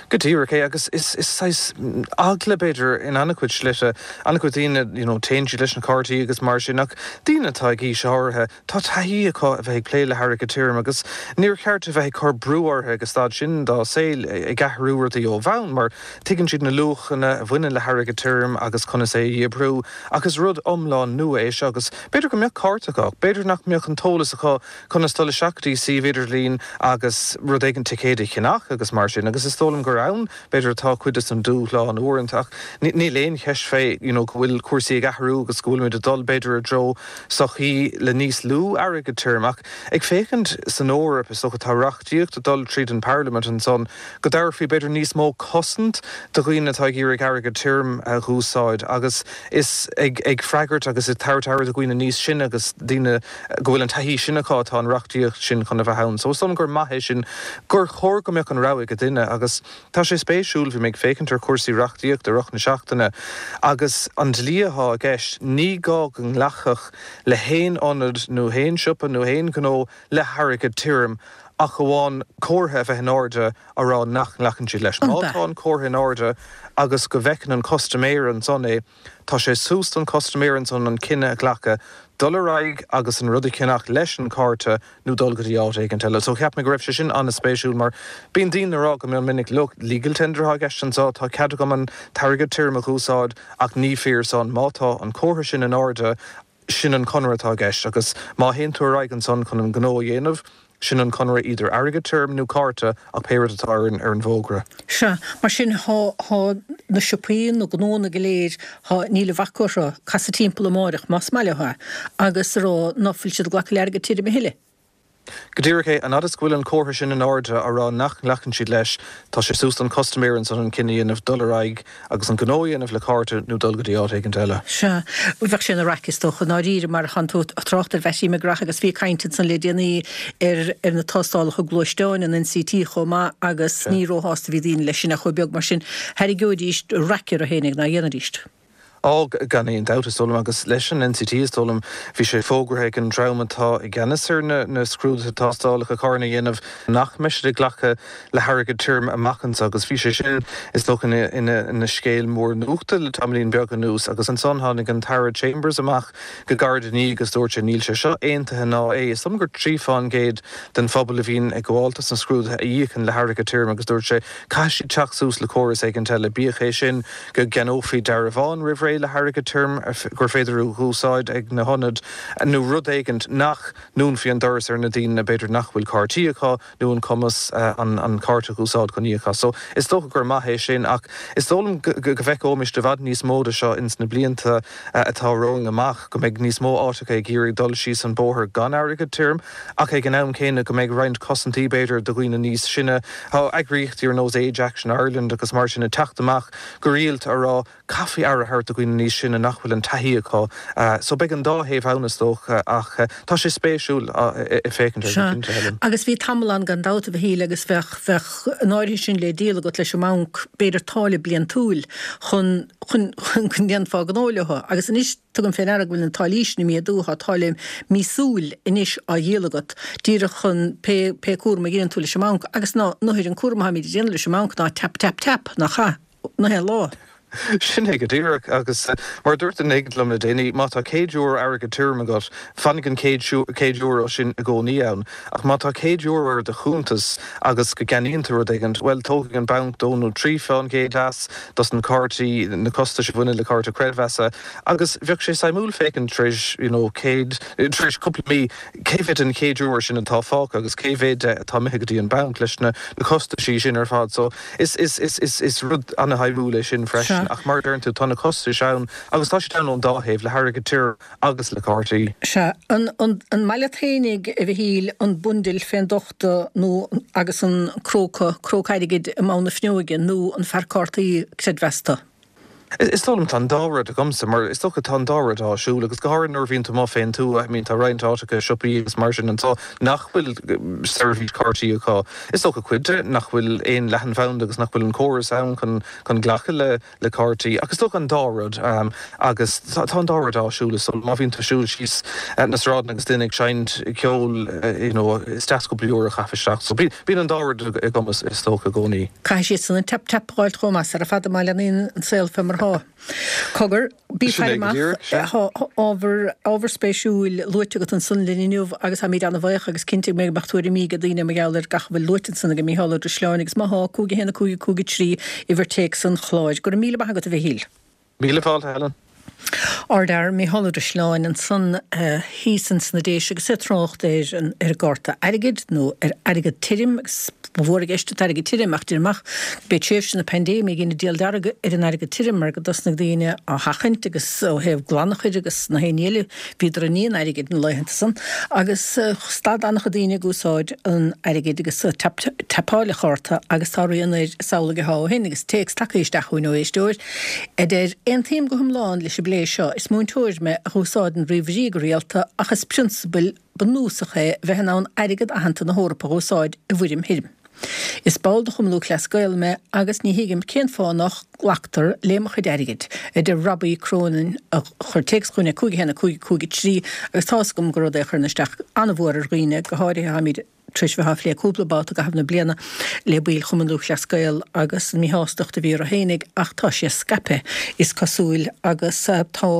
Speaker 3: Go díreach é agus is is saghas eagla b'fhéidir in an-chuid slite, an-chuid daoine you know téann siad leis na cártaí agus mar sin ach daoine atá ag aois áirithe tá taithí acu a bheith ag plé le hairgead tirim agus níor cheart a bheith ag cur brú orthu ag an staid sin dá saol ag athrú rudaí ó bhonn mar tuigeann siad na luachanna a bhaineann le hairgead tirim agus conas é a dhíobriú ach is rud iomlán nua é seo agus b'fhéidir go mbeadh cárta acu ach b'fhéidir nach mbeadh an t-eolas acu conas dul isteach go dtí suíomh idirlín agus rud éigin ticéad a cheannach agus mar sin agus is dóigh liom gur ann b'fhéidir atá cuid de an dúshlán uaireanta ach níl aon cheist fé you know go bhfuil cúrsaí ag athrú agus go bhfuilimid ag dul b'fhéidir i dtreo sochaí le níos lú airgead tirim ach ag féachaint san Eoraip is dócha tá reachtaíocht ag dul tríd an Parliament ansan go dtabharfaí b'fhéidir níos mó cosaint do dhaoine atá ag iarraidh airgead tirim a dh'úsáid agus is ag ag freagairt agus ag tabhairt aire do dhaoine níos sine agus daoine go bhfuil an taithí sin acu atá an reachtaíocht sin chun a bheith ann. So is dóigh liom gur maith é sin gur chóir go mbeadh an rogha ag duine agus tá sé spéisiúil, bhí mé ag féachaint ar chúrsaí reachtaíochta i rith na seachtaine agus an dlí atá i gceist, ní gá go nglacfadh le haon ionad nó haon siopa nó haon ghnó le hairgead tirim ach amháin comhartha a bheith in airde á rá nach nglacann siad leis. Má tá an comhartha in airde agus go bhfeiceann an custaiméir ansan é, tá sé suas don chustaiméir ansan an cinneadh a ghlacadh dul ar aghaidh agus an rud a cheannach leis an chárta nó dul go dtí áit éigint eile. So cheap mé go raibh sé sin an-spéisiúil mar bíonn daoine ag rá go mion minic look, legal tender atá i gceist anseo, tá cead agam an t-airgead tirim a dh'úsáid ach ní fíor san má tá an comhartha sin in airde, sin an conradh atá i gceist agus má théann tú ar aghaidh ansan chun an gnó a dhéanamh, sin an conradh idir airgead tirim nó cárta ach pé rud atá ar an ar an bhfógra.
Speaker 1: Sea, mar sin thá thá na siopaí, na gnónna go léir, thá, níl a bhac orthu casadh timpeall amáireach más maith leo é agus a rá ná fuil siad ag glacadh le airgead tirim a thuilleadh.
Speaker 3: Go díreach é, an fhad is go bhfuil an comhartha sin in airde á rá nach nglacann siad leis, tá sé suas don chustaiméir ansan an cinneadh a dhéanamh dul ar aghaidh agus an gnó a dhéanamh le cárta nó dul go dtí áit éigint eile.
Speaker 1: Sea, bheadh sé ina raic is dócha, i ndáiríre, mar thánn tú ag trácht ar Mheaití McGrath agus bhí caint ansan le déanaí ar ar na tástálacha gluaisteáin, an NCT chomh maith agus ní róshásta a bhí daoine leis sin ach chomh beag mar sin. Thairgeoidís raic orthu fhéinig ná dhéanfaidís.
Speaker 3: Á, gan aon dabht, is dóigh liom, agus leis an NCT, is dóigh liom, bhí sé fógartha ag an dream atá i gceannas ar na na scrúduithe tástálacha carranna a dhéanamh nach mbeidh siad ag glacadh le hairgead tirim amach anseo agus bhí sé sin, is dócha, ina ina ina scéal mór nuachta le tamaillín beag anuas agus ansan tháinig an tAire Chambers amach go gairid ina dhiaidh agus dúirt sé níl sé seo aontaithe ná é. Is dóigh liom gur trí fán gcéad den phobal a bhíonn ag gabháil dos na scrúduithe a íocann le hairgead tirim agus dúirt sé caithfidh siad teacht suas le córas éigint eile, bíodh é sin go gceannófaí dearbhán roimh ré le hairgead tirim gur féidir a úsáid ag na hionaid nó rud éigint nach ndúnfaí an doras ar na daoine b'fhéidir nach bhfuil cártaí acu nó an cumas an cárta a úsáid chun íoc as. So is dócha gur maith é sin ach is dóigh liom go bhfeicfimid i bhfad níos mó de seo ins na blianta atá romhainn amach, go mbeidh níos mó áiteacha ag iarraidh dul síos an bóthar gan airgead tirim ach ag an am céanna go mbeidh roinnt cosaintí b'fhéidir do dhaoine níos sine. Tá eagraíochtaí ar nós Age Action Ireland agus mar sin ag teacht amach go rialta a rá caithfí aire a thabhairt do dhaoine níos sine nach bhfuil an taithí acu. So beidh an dá thaobh ann is dócha ach tá sé spéisiúil féachaint air go cinnte, Helen.
Speaker 1: Agus bhí tamall ann gan dabht a Mhichíl agus bheadh, bheadh an áirithe sin le díol agat leis an mbanc, b'fhéidir táille bliantúil chun, chun, chun go ndéanfá gnó leo. Agus anois tugaim fé ndeara go bhfuil na táillí sin ag méadú, tá táille míosúil anois á dhíol agat díreach chun pé, pé cúram a dhéanann tú leis an mbanc agus ná, ná an cúram atáimid a dhéanamh leis an mbanc ná tap, tap, tap, nach ea? Na haon lá.
Speaker 3: Sin é go díreach agus mar a dúirt duine éigin liom le déanaí, má tá céad euro airgead tirim agat, fanfaidh an céad euro sin i gcónaí ann. Ach má tá céad euro ar do chuntas agus go gceannaíonn tú rud éigin, bhuel, tógfaidh an banc dó nó trí fán gcéad as dos na cártaí, na costais a bhaineann le cárta creidmheasa. Agus bheadh sé suimiúil féachaint tar éis, you know, céad, tar éis cúpla mí, cé mhéad den chéad euro sin atá fágtha agus cé mhéad de atá imithe go dtí an banc leis na costaisí sin ar fad. So is, is, is, is, is rud ana-shuimiúil é sin freisin. Ach mar a deireann tú, tá na costais ann agus tá siad ann ón dá thaobh, le hairgead tirim agus le cártaí.
Speaker 1: Sea. An, an, an maith leat fhéinig, a Mhichíl, an bundle fén dtochta nó agus an cróca, cróc airgid i mbonn na fuinneoige nó an fear cártaí creidmheasa tú?
Speaker 3: Is dóigh liom tá an dá rud agamsa, mar is dócha tá an dá rud áisiúil agus go háirithe nuair a bhíonn tú amuigh fén tuath, I mean tá roinnt áiteacha, siopaí agus mar sin anseo nach bhfuil seirbhís cártaí acu. Is dócha cuid de nach bhfuil aon leathanbhanda agus nach bhfuil an córas ann chun chun glacadh le le cártaí ach is dócha an dá rud agus tá an dá rud áisiúil is dóigh liom. Má bhíonn tú ag siúl síos na sráideanna agus duine ag seinnt ceoil you know is deas cúpla euro a chaitheamh isteach. So bíonn an dá rud agam is dócha i gcónaí.
Speaker 1: Caithfidh siadsan an tap tap a fháilt chomh maith sara fada má leanaíonn an saol fé mar thá. Cogar, bí
Speaker 3: Sin
Speaker 1: faire
Speaker 3: é go
Speaker 1: amach,
Speaker 3: díreach, sea.
Speaker 1: thá ábhar, ábhar spéisiúil luaite agat ansan linn inniu agus táimid ana-bhaoch agus cinnte go mbeidh tuairimí ag daoine mar gheall ar gach a bhfuil luaite ansan ag Mícheál Ó Drisleáin agus má thá, cúig a haon a cúig a cúig a trí, uimhir téacs an chláir. Go raibh míle maith agat a Mhichíl.
Speaker 3: Míle fáilte, Helen.
Speaker 1: Ardfhear Mícheál Ó Drisleáin ansan thíos ins na Déise agus é ag trácht ar an ar an gcárta airgid nó ar airgead tirim agus ba mhór i gceist an t-airgead tirim ach deirim amach b'é tréimhse na paindéime a dhein an diabhal dearg ar an airgead tirim mar go dtosnaigh daoine á sheachaint agus ó thaobh glanachair agus na haon ní eile bhíodar i ndiaidh an airgid na laethanta san agus stad an-chuid daoine ag úsáid an airgid agus ag tapáil an chárta agus tá rian air is amhlaidh atá ó shin agus téacs tagtha isteach chugainn ó éisteoir a deir Aontaím go hiomlán leis an bplé seo. Is múinteoir mé a úsáideann ríomhairí go rialta ach is prionsabal bunúsach é bheith in ann airgead aitheanta na hEorpa a úsáid i bhfoirm thirim. Is ball de Chumann Lúthchleas Gael mé agus ní thuigim cén fáth nach nglactar le mo chuid airgid, a deir Robbie Cronin a chuir téacs chugainn ag cúig a haon a cúig a cúig a trí agus tá's agam gur rud é a chuireann isteach an-mhór ar dhaoine, go háirithe táimid tar éis bheith á phlé cúpla babhta i gcaitheamh na bliana le baill Chumann Lúthchleas Gael agus an míshástacht a bhí orthu fhéinig ach tá sé scaipthe, is cosúil, agus tá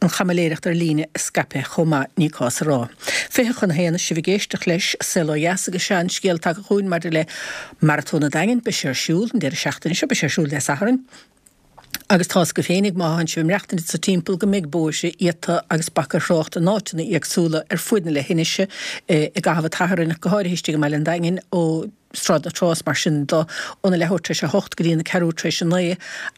Speaker 1: an chaimiléireacht ar líne scaipthe chomh maith, ní cás a rá. Fiche chun a haon, sibh ag éisteacht leis Saol Ó Dheas agus sea an scéal tagtha chugainn maidir le Maratón an Daingin, beidh sé ar siúl an deireadh seachtaine seo, beidh sé ar siúl Dé Sathairn. Agus tá's agaibh féinig, má thánn sibh ag maireachtaint anso timpeall, go mbeidh bóithre iata agus bac ar thrácht in áiteanna éagsúla ar fuaid na leithinise i gcaitheamh an tSathairn, go háirithe istigh i mbaile an Daingin, ó Sráid na Trá is mar sin de, óna leathuair tar éis a hocht go dtí na ceathrú tar éis a naoi,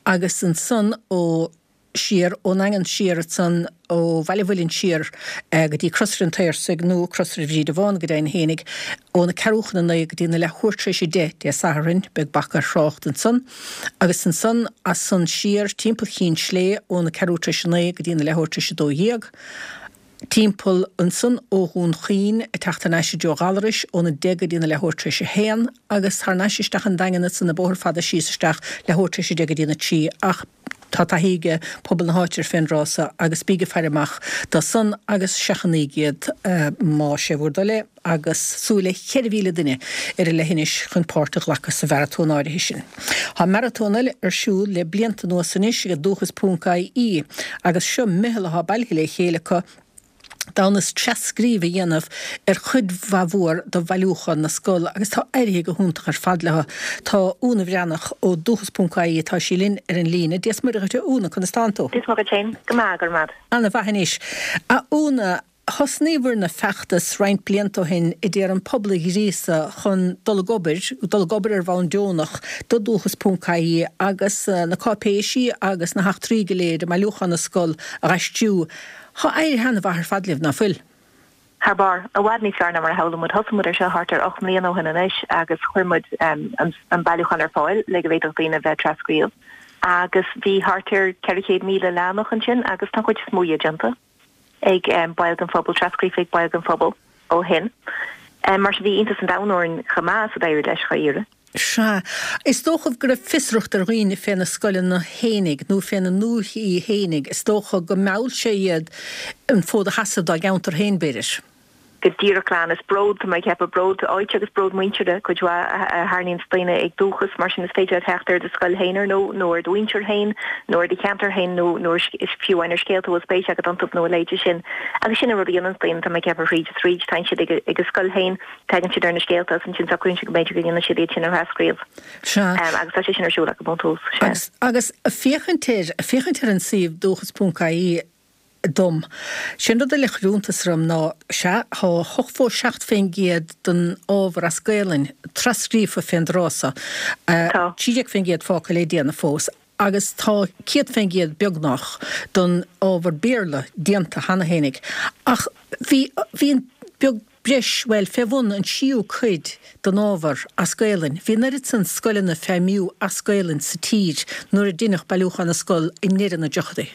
Speaker 1: agus ansan ó siar ón nDaingean siar ansan ó Bhaile an Mhuilinn siar go dtí Crosaire an tSaorsaigh nó Crosaire Bhríde Bhán go deimhin fhéinig, óna ceathrú chun a naoi go dtí na leathuair tar éis a deich Dé Sathairn, beidh bac ar thrácht ansan. Agus ansan, as san siar timpeall Chinn Slé óna ceathrú tar éis a naoi go dtí na leathuair tar éis a dó dhéag, timpeall ansan ó Dhún Chaoin ag teacht thar n-ais i dtreo Ghallarais óna deich go dtí na leathuair tar éis a haon agus thar n-ais isteach an Daingean ansan an bóthar fada síos isteach leathuair tar éis a deich go dtí na trí ach Tá taithí ag pobal na háite ar fén dtráth so agus bíg ag faire amach dó san agus seachnaíg iad má sé bhur dtoil é agus súil le ceithre mhíle duine ar an leithinis chun páirt a ghlacadh sa mharatón áirithe sin. Tá maratón eile ar siúl le blianta anuas anois ag Dúchas ponc IE agus seo meitheal atá bailithe le chéile acu d'fhonn is tras-scríobh a dhéanamh ar chuid mhaith mhór de bhailiúchán na scol agus tá éirithe go hiontach ar fad leo. Tá Úna Bhreathnach ó Dúchas ponc IE, tá sí linn ar an líne. Dia is Muire dhuit a Úna, conas tánn tú?
Speaker 4: Dia is Muire dhuit féin. Go maith, go raibh maith.
Speaker 1: Ana mhaith anois. A Úna, thosnaíobhair-ne feachtas roinnt blianta ó shin a d'iarr an pobal a ghríosadh chun dul ag obair, dul ag obair ar bhonn deonach do Dúchas ponc IE agus na cáipéisí agus na heachtraí go léir i mbailiúchán na scol a dh'aistriú. Tá éirithe ana mhaith ar fad libh, ná fuil?
Speaker 4: Thar barr. I bhfad níos fearr ná mar a shamhlaigh muid. Thosaigh muid ar seo thart ar ocht mbliana ó shin anois agus chuir muid an bailiúchán ar fáil le go bhféadfadh daoine a bheith ag trascríobh agus bhí thart ar ceithre chéad míle leathanach ansin agus tá an chuid is mó dhe déanta ag baill den phobal, trascríofa ag baill den phobal ó shin. Mar sin bhí iontas an domhain orainn chomh maith is a d'éirigh leis dháiríre.
Speaker 1: Sea. Is dócha go raibh fiosracht ar dhaoine fé na scoileanna fhéinig nó fé na ndúichí fhéinig. Is dócha go mheall sé iad an fód a sheasamh dá gceantar féin, b'fhéidir.
Speaker 4: Go díreach glan. Is bród, tá mé ag ceapadh, bród áite agus bród muintire cuid mhaith a tharraingíonns daoine ag dúchas. Mar sin is féidir leat theacht ar do scoil féin ar ndóigh, nó ar do mhuintir féin, nó ar do cheantar féin, nó nó fiú amháin ar scéalta a bhfuil spéis agat iontu nó a leithéid sin. Agus sin an rud a dhéananns daoine, tá mé ag ceapadh, thríd is thríd. Tagann siad ag a scoil féin. Tagann siad ar na scéalta agus ansin socraíonn siad go mb'fhéidir go ndéanann siad iad sin a thrascríobh.
Speaker 1: Sea.
Speaker 4: Agus tá sé sin ar siúl acu ón tús. Sea.
Speaker 1: Agus, agus féachaint ar, féachaint ar an suíomh dúchas ponc ie dom, sé'n rud eile a chuir iontas orm ná, sea, tá ochtó seacht fén gcéad den ábhar as Gaelainn trascríofa fén dtráth so,
Speaker 4: Tá.
Speaker 1: trí déag fén gcéad fágtha le déanamh fós, agus tá céad fén gcéad beagnach den ábhar Béarla déanta cheana fhéinig. Ach bhí, bhí an beag, breis, bhuel, fé bhun an tríú cuid den ábhar as Gaelainn. Bhí an oiread san scoileanna ag feidhmiú as Gaelainn sa tír nuair a deineadh Bailiúchán na Scol i ndeireadh na dtríochaidí.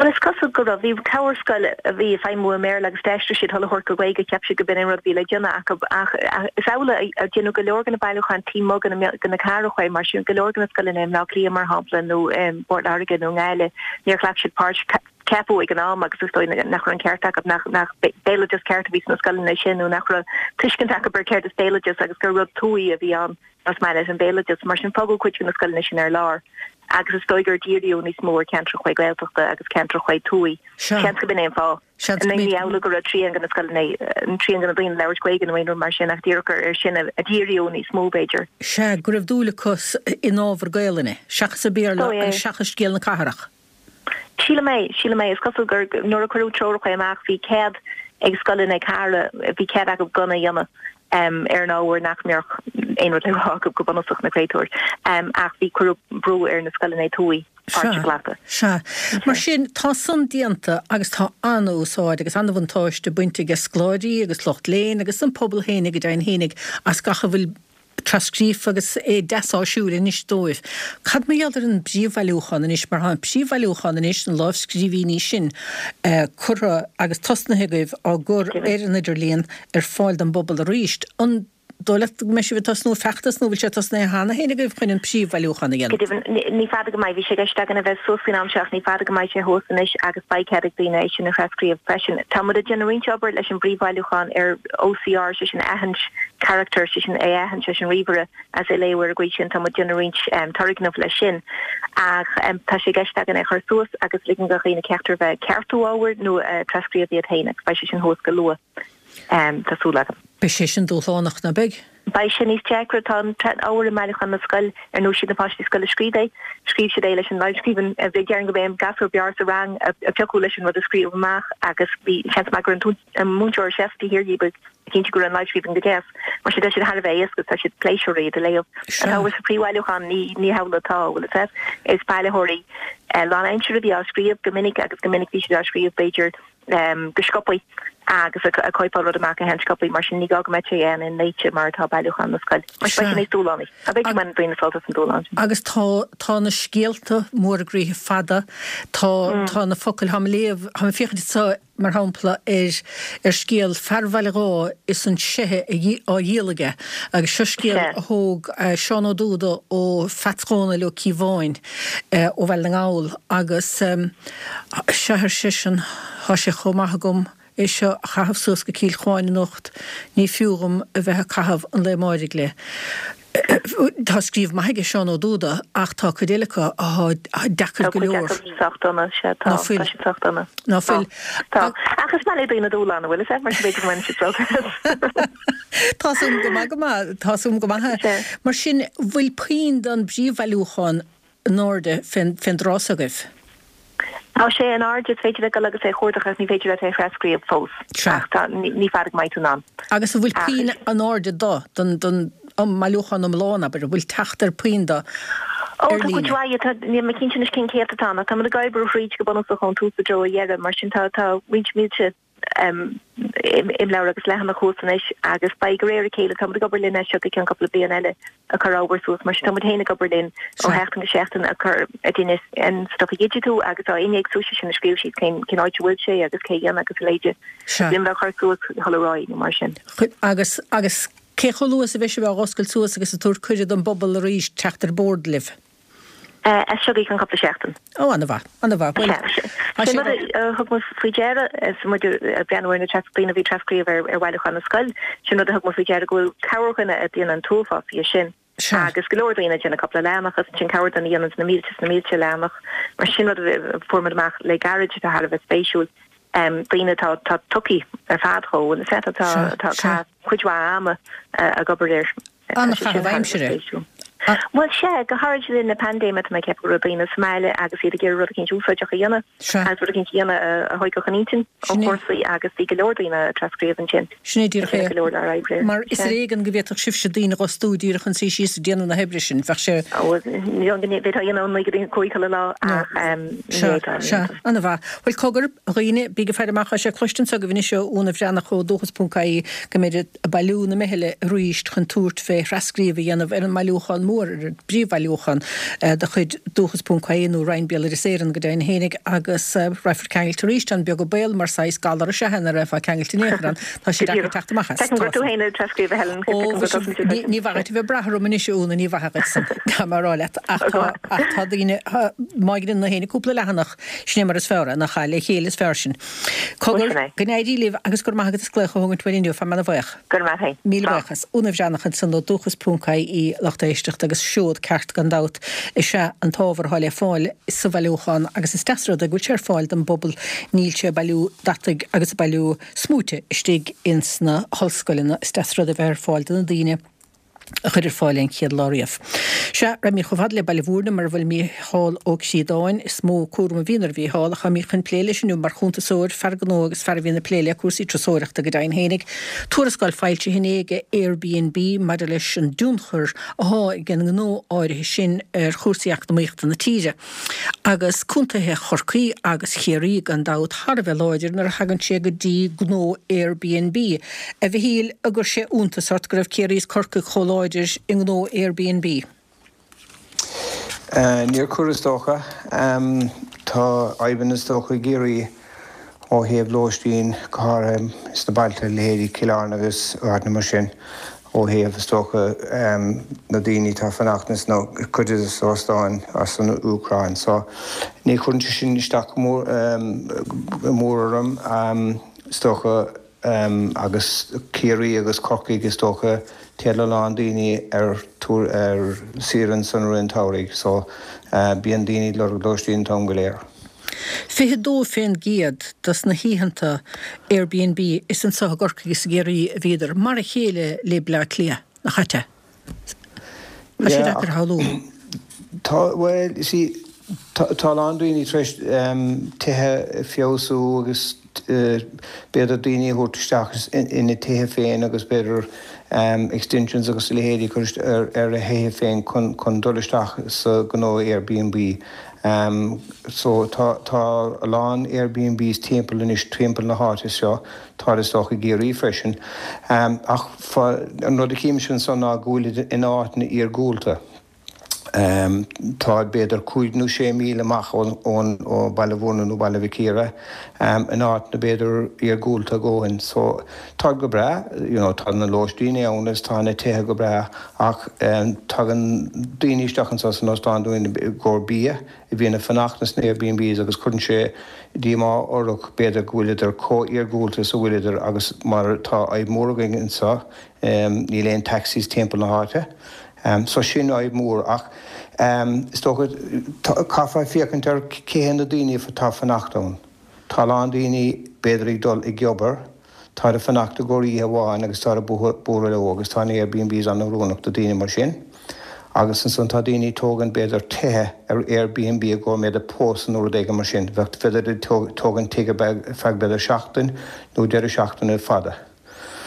Speaker 4: Bhuel, is cosúil go raibh. Bhí corr scoil a bhí ag feidhmiú i mBéarla agus d'aistrigh siad sula thabhairt go Gaeilge, cheap siad go b'in an rud a bhí le déanamh acu. Ach is amhlaidh a deineadh go leor de na bailiúcháin taobh amuigh de na cathracha, mar sin go leor de na scoileanna i mBleá Cliath, mar shampla, nó i bPort Láirge nó i nGaillimh, níor ghlac siad páirt. Ceapadh ag an am, agus is dóigh nach raibh an ceart acu, nach nach béaloideas ceart a bhí sna scoileanna sin nó nach raibh tuiscint acu ar céard is béaloideas agus gur rud tuaithe a bhí ann más maith leat an béaloideas. Mar sin fágadh cuid de na scoileanna sin ar lár agus is dóigh gur díríodh níos mó ar cheantracha Gaeltachta agus ceantracha tuaithe. Seans go b'in é an fáth.
Speaker 1: Seans go
Speaker 4: Ní
Speaker 1: mb'in.
Speaker 4: hamhlaidh go raibh trian de na scoileanna, trian de na daoine ag labhairt Gaeilge nó aon rud mar sin ach díreach ar sin a díríodh níos mó b'fhéidir.
Speaker 1: Sea, go raibh dúil acu in ábhar Gaelainne seachas i Béarla
Speaker 4: Dóigh é.
Speaker 1: agus seachas scéal na cathrach.
Speaker 4: Sílim é, sílim é. Is cosúil gur nuair a cuireadh treoracha amach bhí cead ag scoileanna cathartha, bhí cead acu gan a dhéanamh ar an ábhar nach mbeadh aon rud le rá acu go bunúsach, na créatúir. Ach bhí, cuireadh brú ar na scoileanna tuaithe páirt a
Speaker 1: Sea,
Speaker 4: ghlacadh.
Speaker 1: sea. Mar sin, tá san déanta agus tá an-úsáid agus an-bhuntáiste bainte ag scoláirí agus lucht léinn agus an pobal fhéinig go deimhin fhéinig as gach a bhfuil trascríofa agus é deas áisiúil anois dóibh. Cad mar gheall ar an bpríomhbhailiúchán anois, mar tá an príomhbhailiúchán anois, na lámhscríbhinní sin, curtha agus tosnaithe agaibh á gcur ar an idirlíon ar fáil don bpobal arís. An dóigh leat go mbeidh sibh ag tosnú feachtas nó bhfuil sé tosnaithe cheana féin agaibh chun an príomhbhailiúchán a
Speaker 4: Go
Speaker 1: dhéanamh?
Speaker 4: deimhin, ní fada go mbeidh. Bhí sé i gceist againn a bheith suas faoin am seo ach ní fada go mbeidh sé thuas anois agus beidh cead ag daoine é sin a thrascríobh freisin. Tá muid ag déanamh roinnt obair leis an bpríomhbhailiúchán ar OCR, sé sin aithint carachtar, sé sin é a aithint leis an ríomhaire agus é a léamh ar an gcaoi sin. Tá muid ag déanamh roinnt turgnamh leis sin ach tá sé i gceist againn é a chur suas agus ligean do dhaoine ceachtar a bheith ag ceartú ábhair nó ag trascríobh iad féin agus beidh sé sin thuas go luath, tá súil agam.
Speaker 1: Beidh sé sin dúshlánach, ná beidh?
Speaker 4: Beidh sé níos deacra. Tá an t-ábhar i mbailiúchán na scol, ar ndóigh, siad na páistí scoile a scríobh é. Scríobh siad é leis an lámhscríbhinn. Déarfainn go b'é an gasúr b'fhearr sa rang a piocadh leis an rud a scríobh amach agus bhí seans maith go raibh an múinteoir a sheas taobh thiar díobh ag cinntiú go raibh an lámhscríbhinn go deas. Mar sin, tá siad thar a bheith éasca, tá siad pléisiúrtha iad a léamh. An t-ábhar sa phríomhbhailiúchán, ní ní hamhlaidh atá, bhfuil a fhios agat. Is bailitheoirí lánaimseartha a bhí á scríobh go minic agus go minic bhí siad á scríobh, b'fhéidir, go sciobtha agus ag cóipeáil rud amach a sheansciopaí mar sin ní gá go mbeadh sé an inléite mar atá bailiúchán na scoile. Mar sin beidh sé níos dúshlánaí. Tá b'fhéidir go mbaineann daoine sult as an dúshlán sin.
Speaker 1: Agus tá tá na scéalta móra groíthe fada, tá tá na focail, táim ag léamh, táim ag féachaint anseo mar shampla ar ar scéal fear Bhaile Dháith is an seithe á dhíol aige agus seo scéal a thóg Seán Ó Dúda ó Pheats Dhónaill Ó Cíobháin ó Bhaile na nGall agus sea ar seisean tá sé chomh maith agam é seo a chaitheamh suas go Cill Chuáin anocht, ní fiú dhom a bheith ag caitheamh an lae amáirigh le. Tá scríobh maith aige Seán Ó Dúda ach tá cuid eile acu atá deacair go leor.
Speaker 4: Tá cuid acu sách dona, sea, tá,
Speaker 1: Ná fuil.
Speaker 4: tá siad sách dona.
Speaker 1: Ná fuil.
Speaker 4: Tá. Ach is maith le daoine dúshlán, an bhfuil fhios agat, mar sin b'fhéidir go mbaineann siad sult as.
Speaker 1: Tá 's agam go maith go maith, tá 's agam go maith.
Speaker 4: Sea.
Speaker 1: Mar sin, bhfuil puinn den bpríomhbhailiúchán in airde fén dtráth s'agaibh?
Speaker 4: Tá sé in airde, is féidir leat dul agus é a chuardach ach ní féidir leat é a thrascríobh fós.
Speaker 1: Sea.
Speaker 4: Ach tá, ní fada go mbeidh tú in ann.
Speaker 1: Agus an bhfuil
Speaker 4: Ach
Speaker 1: puinn in airde do, don, don mbailiúchán iomlán, abair, an bhfuil teacht ar puinn do
Speaker 4: Ó,
Speaker 1: ar
Speaker 4: tá cuid
Speaker 1: líne?
Speaker 4: mhaith, tá, níl mé cinnte anois cén céatadán ach tá muid ag oibriú thríd go bunúsach ón tús i dtreo a dheireadh, mar sin tá, tá roinnt mílte imleabhar agus leathanach thuas anois agus beidh de réir a chéile, tá muid ag obair linn as seo go ceann cúpla bliain eile ag cur ábhar suas mar sin tá muid féin ag obair linn ó sheachtain go seachtain ag cur ag déanamh an stuff a dhigitiú agus á innéacsú, sé sin ag scríobh síos cén cén áit a bhfuil sé agus cé a dhein agus a leithéide
Speaker 1: Sea.
Speaker 4: linn bheith á chur suas dhul ar aghaidh nó mar sin.
Speaker 1: Agus agus cé chomh luath is a bheidh sibh á dh'oscailt suas agus ag tabhairt cuireadh don bpobal arís teacht ar bord libh?
Speaker 4: As seo go ceann cúpla seachtain.
Speaker 1: Ó, an-mhaith, an-mhaith. Bhuel, tá
Speaker 4: Sin
Speaker 1: sé
Speaker 4: rud a thug muid faoi deara is muid ag breathnú ar na tras, daoine a bhí ag trascríobh ar ar bhailiúchán na scoile, sin rud a thug muid faoi deara go bhfuil corrdhuine ag déanamh an t-uafás dhe sin.
Speaker 1: Sea.
Speaker 4: Agus go leor daoine ag déanamh cúpla leathanach agus ansin corrdhuine a dhéananns na mílte is na mílte leathanach. Mar sin rud a fuair muid amach le gairid atá thar a bheith spéisiúil. Daoine atá atá tugtha ar fad dhó, bhfuil fhios agat, atá
Speaker 1: Sea,
Speaker 4: atá ag
Speaker 1: sea.
Speaker 4: caitheamh cuid mhaith ama ag obair air. Tá sé sin
Speaker 1: An-chaitheamh
Speaker 4: thar a bheith
Speaker 1: aimsire.
Speaker 4: spéisiúil. Bhuel, sea, go háirid le linn na paindéime, tá mé ag ceapadh go raibh daoine sa mbaile agus iad ag iarraidh rud eicínt úsáideach a dhéanamh
Speaker 1: Sea.
Speaker 4: agus rud eicínt a dhéanamh a thógfadh an intinn ó
Speaker 1: Sin é.
Speaker 4: chúrsaí agus bhí go leor daoine ag trascríobh ansin.
Speaker 1: Sin é díreach
Speaker 4: Ag
Speaker 1: é.
Speaker 4: déanamh go leor dár oibre air.
Speaker 1: Mar is
Speaker 4: Sea.
Speaker 1: ar éigean go bhféadfadh sibhse daoine a dh'fhostú díreach chun suí síos ag déanamh na hoibre sin. Bheadh sé.
Speaker 4: Ó, bhuel, ní dóigh go bhféadfá a dhéanamh ó naoi go dtí a cúig chuile lá
Speaker 1: No.
Speaker 4: ach ní
Speaker 1: Sea,
Speaker 4: fhéadfá, ní
Speaker 1: sea.
Speaker 4: fhéadfá.
Speaker 1: An-mhaith. Bhuel, cogar, a dhaoine, bígí ag faire amach, tá sé cloiste anseo agaibh anois ó Úna Bhreathnach ó Dúchas ponc ie go mbeidh ag bailiú na meithle arís chun tabhairt fé thrascríobh a dhéanamh ar an mbailiúchán mór, ar an bpríomhbhailiúchán de chuid Dúchas ponc ie nó Roinn Béaloideas Éireann go deimhin fhéinig agus raghfar ceangailte arís an beag an baol mar saghas galar is ea é nach raghfá ceangailte in aon chor ann. Tá sé deacair teacht amach as.
Speaker 4: Feicim gur tú féin ag trascríobh a Helen,
Speaker 1: Ó, ní ní mhaith duit a bheith ag brath orm anois a Úna, ní mhaith dhuit san, tá mé a rá leat, ach tá ach tá daoine, má dhéanann tú fhéinig cúpla leathanach, sin é mar is fearr é, nach ea, le chéile is fearr sin. Cogar, go n-éirí libh agus go raibh maith agat as glaoch a thógaint uainn inniu, fan mé ana-bhuíoch.
Speaker 4: Go raibh maith agat.
Speaker 1: Míle buíochas. Úna Bhreathnach ansan ó Dúchas ponc ie, lucht éisteachta, agus seod ceart gan dabht is ea an t-ábhar atá le fáil sa bhailiúchán agus is deas an rud é go bhfuil sé ar fáil don bpobal, níl sé ag bailiú dataigh agus ag bailiú smúite istigh ins na hollscoileanna, is deas an rud é bheith ar fáil do na daoine. a chuir ar fáil é an chéad lá riamh. Sea, raghaimid chomh fada le Baile Mhúirne mar a bhfuil Mícheál Ó Críodáin. Is mó cúram a bhíonn ar Mhícheál ach táimid chun plé leis inniu mar chuntasóir, fear gnó agus fear a bhíonn ag plé le cúrsaí turasóireachta go deimhin fhéinig. Tuarascáil foilsithe inné ag Airbnb maidir leis an dtionchar athá ag an ngnó áirithe sin ar chúrsaí eacnamaíochta na tíre. Agus contaetha Chorcaí agus Chiarraí gan dabht thar a bheith láidir nuair a thagann sé go dtí gnó Airbnb. A Mhichíl, an gcuir sé iontas ort go raibh Ciarraí is Corcaigh chomh láidir i ngnó Airbnb?
Speaker 5: Níor chuir is dócha. Tá fadhbanna is dócha i gCiarraí ó thaobh lóistín, go háirithe sna bailte, leithéidí Cill Airne agus áiteanna mar sin, ó thaobh, is dócha, na daoine atá ag fanacht ins na cuid de na hóstáin as an Úcráin. So, ní chuireann sé sin isteach go mór orm, is dócha, agus Ciarraí agus Corcaigh, is dócha, téann a lán daoine ar ar saoire ansan i rith an tsamhraidh. So, bíonn daoine ag lorg lóistín an t-am go léir.
Speaker 1: Fiche dó fén gcéad dos na hoícheanta Airbnb is anso i gCorcaigh is i gCiarraí a bhíodar, mar a chéile le Bleá Cliath, nach ait é? Tá sé deacair a shamhlú.
Speaker 5: Tá, bhuel, you see, tá a lán daoine tar éis tithe a feabhsú agus b'fhéidir daoine a thabhairt isteach ina dtithe féin agus b'fhéidir extensions agus a leithéidí a chur ar a thithe féin chun dul isteach sa ghnó Airbnb. So tá tá a lán Airbnbs timpeall anois timpeall na háite seo, tá is dócha i gCiarraí freisin. Ach an rud a chímse ansan ná go bhfuilid in áiteanna iargúlta. Táid b'fhéidir cúig nó sé míle amach ón ó Baile Bhúirne nó Baile Mhic Íre, in áiteanna b'fhéidir iargúlta a dhóthain. So táid go breá, you know, tá na lóistíní ann agus tá na tithe go breá ach tagann daoine isteach anso san óstán dúinn i gcomhair bia, a bhíonn ag fanacht sna Airbnbs agus cuireann sé díomá orthu b'fhéidir go bhfuileadar chomh iargúlta is a bhfuileadar agus mar tá fadhb mhór againn anseo níl aon taxis timpeall na háite. So sin fhadhb mhór ach is dócha caithfear féachaint ar cé hiad na daoine atá ag fanacht ann. Tá a lán daoine b'fhéidir ag dul ag obair, táid ag fanacht i gcomhair oíche amháin agus táid ag bualadh leo agus tá an Airbnbs an-oiriúnach do daoine mar sin. Agus ansan tá daoine ag tógaint b'fhéidir tithe ar Airbnb i gcomhair b'fhéidir pósadh nó rud éigin mar sin. Bheadh b'fhéidir ag tógaint tigh ar feadh b'fhéidir seachtain nó deireadh seachtaine fada.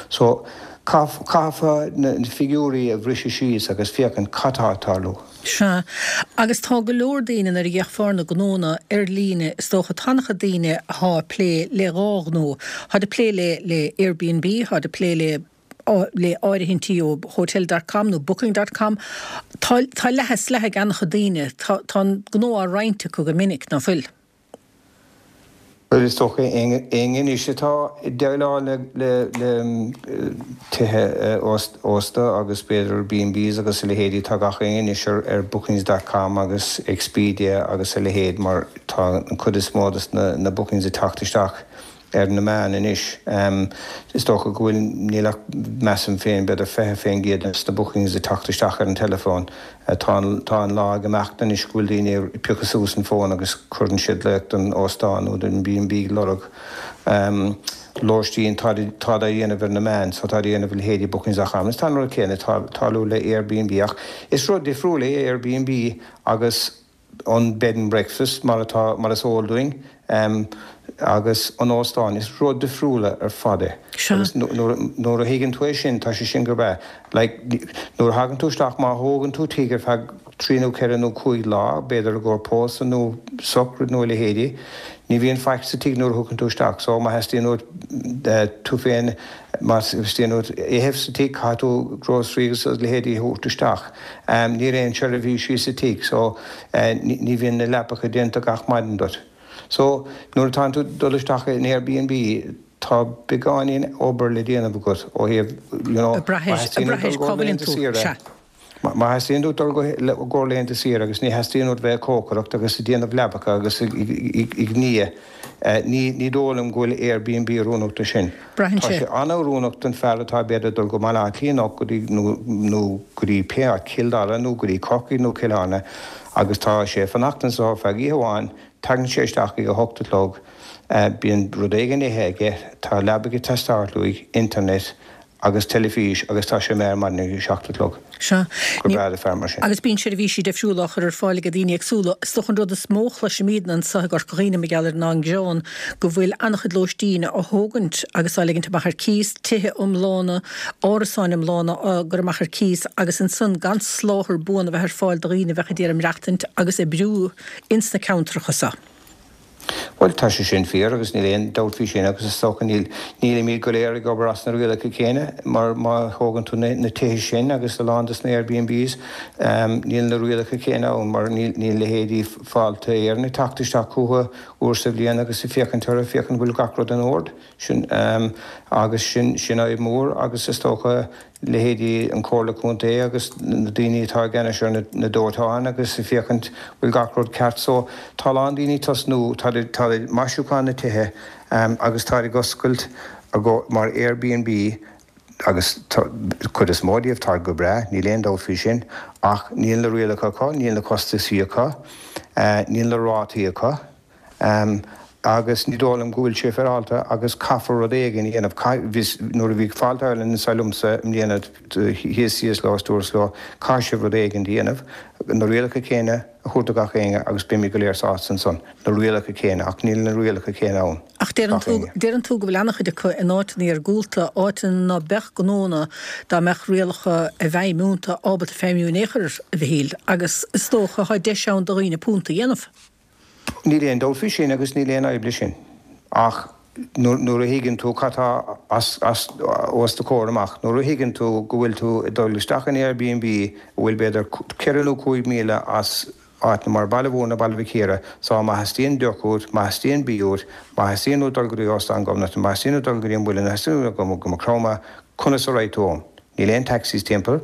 Speaker 5: So, caithfear na figiúirí a bhriseadh síos agus féachaint cad tá ag tarlú.
Speaker 1: Sea. Agus tá go leor daoine, nuair a d'fhéachfá ar na gnónna ar líne, is dócha, tá an-chuid daoine athá ag plé le dhá ghnó. Tháid ag plé le le Airbnb, tháid ag plé le le áirithintí ó Hotel dot com nó Booking dot com. Tá tá leath is leath ag an-chuid daoine. Tá tá an gnó á roinnt acu go minic, ná fuil?
Speaker 5: Bhuel, is dócha éinne anois atá ag déileáil le tithe ósta agus b'fhéidir B and Bs agus a leithéidí, tá gach éinne anois ar bookings dot com agus Expedia agus a leithéid mar tá an chuid is mó de na bookings ag teacht isteach ar na meáin anois. Is dócha go bhfuil, níl ach, measaim féin, b'fhéidir fiche faoin gcéad de na bookings ag teacht isteach ar an teileafón. Tá tá an lá ag imeacht anois go bhfuil daoine ag piocadh suas an fón agus cuireann siad glaoch don óstán nó don B and B ag lorg lóistín. Táid á dhéanamh ar na meáin so táid á dhéanamh ar leithéidí bookings dot com. Is tá an rud céanna ag tarlú le Airbnb ach is rud difriúil é Airbnb agus an bed and breakfast mar atá, mar is eol dúinn, agus an óstán, is rud difriúla ar fad é.
Speaker 1: Sea.
Speaker 5: Agus nuair a thuigeann tú é sin, tá sé sin go breá. Like, nuair a thagann tú isteach, má thógann tú tigh ar feadh trí nó ceithre nó cúig lá, b'fhéidir i gcomhair pósadh nó socraid nó a leithéidí, ní bhíonn faic sa tigh nuair a thiocfainn tú isteach. So, má theastaíonn uait tú féin, má theastaíonn uait ithe sa tigh, caithfidh tú grocery agus a leithéidí a thabhairt isteach. Níl aon seirbhísí sa tigh so ní bhíonn na leapacha déanta gach maidin duit. So nuair atánn tú dul isteach in Airbnb tá beagáinín obair le déanamh agat ó thaobh you know
Speaker 1: má theastaíonn uait dul go laethanta saoire,
Speaker 5: má theastaíonn uait dul go go laethanta saoire agus ní theastaíonn uait bheith ag cócaireacht agus ag déanamh leapacha agus ag ní Ní ní dóigh liom go bhfuil Airbnb oiriúnach do sin.
Speaker 1: Braitheann
Speaker 5: Tá
Speaker 1: sé.
Speaker 5: sé an-oiriúnach don fear atá b'fhéidir ag dul go Baile Átha Cliath nó go dtí nó nó go dtí pé áit, Cill Dara nó go dtí Corcaigh nó Cill Airne agus tá sé ag fanacht anso ar feadh oíche amháin, tagann sé isteach ag a hocht a chlog, bíonn rud éigin ithe aige, tá leaba ag teastáilt uaidh, internet, agus teilifís agus tá sé imithe ar maidin ag a seacht a chlog.
Speaker 1: Sea.
Speaker 5: Go breá do fear mar sin.
Speaker 1: Agus bíonn seirbhísí difriúla á chur ar fáil ag daoine éagsúla. Is dócha an rud is mó a chloisimidne anso i gCorca Dhuibhne mar gheall ar ná an gearán go bhfuil an-chuid lóistín á thógaint agus á ligint amach ar cíos, tithe iomlána, árasáin iomlána á gcur amach ar cíos agus ansan gan soláthar buan a bheith ar fáil do dhaoine a bheadh ag iarraidh maireachtaint agus oibriú ins na ceantracha so.
Speaker 5: Bhuel, tá sé sin fíor agus níl aon dabht faoi sin agus is dócha níl, nílimid go léir ag obair as na rialacha céanna mar má thógann tú na, na tithe sin agus a lán des na Airbnbs, níl na rialacha céanna ann mar níl, níl leithéidí Fáilte Éireann ag teacht isteach chucu uair sa bhliain agus ag féachaint orthu, féachaint bhfuil gach rud in ord. Sin, agus sin, sin fhadhb mhór agus is dócha leithéidí an Chomhairle Contae agus na daoine atá i gceannais ar na dóiteáin agus ag féachaint bhfuil gach rud ceart. So tá a lán daoine ag tosnú, tá tá maisiúchán na tithe agus táid ag oscailt mar Airbnb agus tá cuid is mó díobh táid go breá, níl aon dabht faoi sin, ach níl na rialacha acu, níl na costaisí acu, níl na rátaí acu. Agus ní dóigh liom go bhfuil sé féaráilte agus caithfear rud éigin a dhéanamh. Bhí, nuair a bhí Fáilte Ireland anseo liomsa i mbliana thíos síos leo is dúras leo, caithfidh sibh rud éigin a dhéanamh, na rialacha céanna a thabhairt do gach éinne agus beimid go léir sásta ansan. Na rialacha céanna, ach níl na rialacha céanna ann.
Speaker 1: Ach deireann tú, deireann tú go bhfuil an-chuid acu in áiteanna iargúlta, áiteanna ná beadh gnónna dá mbeadh rialacha i bhfeidhm iontu ábalta feidhmiú in aon chor, a Mhichíl, agus is dócha tá deis ann do dhaoine punt a dhéanamh.
Speaker 5: Níl aon dabht faoi sin agus níl aon fhadhb leis sin. Ach nuair a thuigeann tú cad tá as, as, os do chomhair amach, nuair a thuigeann tú go bhfuil tú ag dul isteach in Airbnb a bhfuil b'fhéidir ceithre nó cúig míle as áiteanna mar Baile Mhúirne, Baile Mhic Íre, so má theastaíonn deoch uait, má theastaíonn bia uait, má theastaíonn uait dul go dtí Óstán Ghobnait, má theastaíonn uait dul go dtí an Muileann, má theastaíonn uait dul go Maigh Chromtha, conas a raghaidh tú ann? Níl aon taxis timpeall.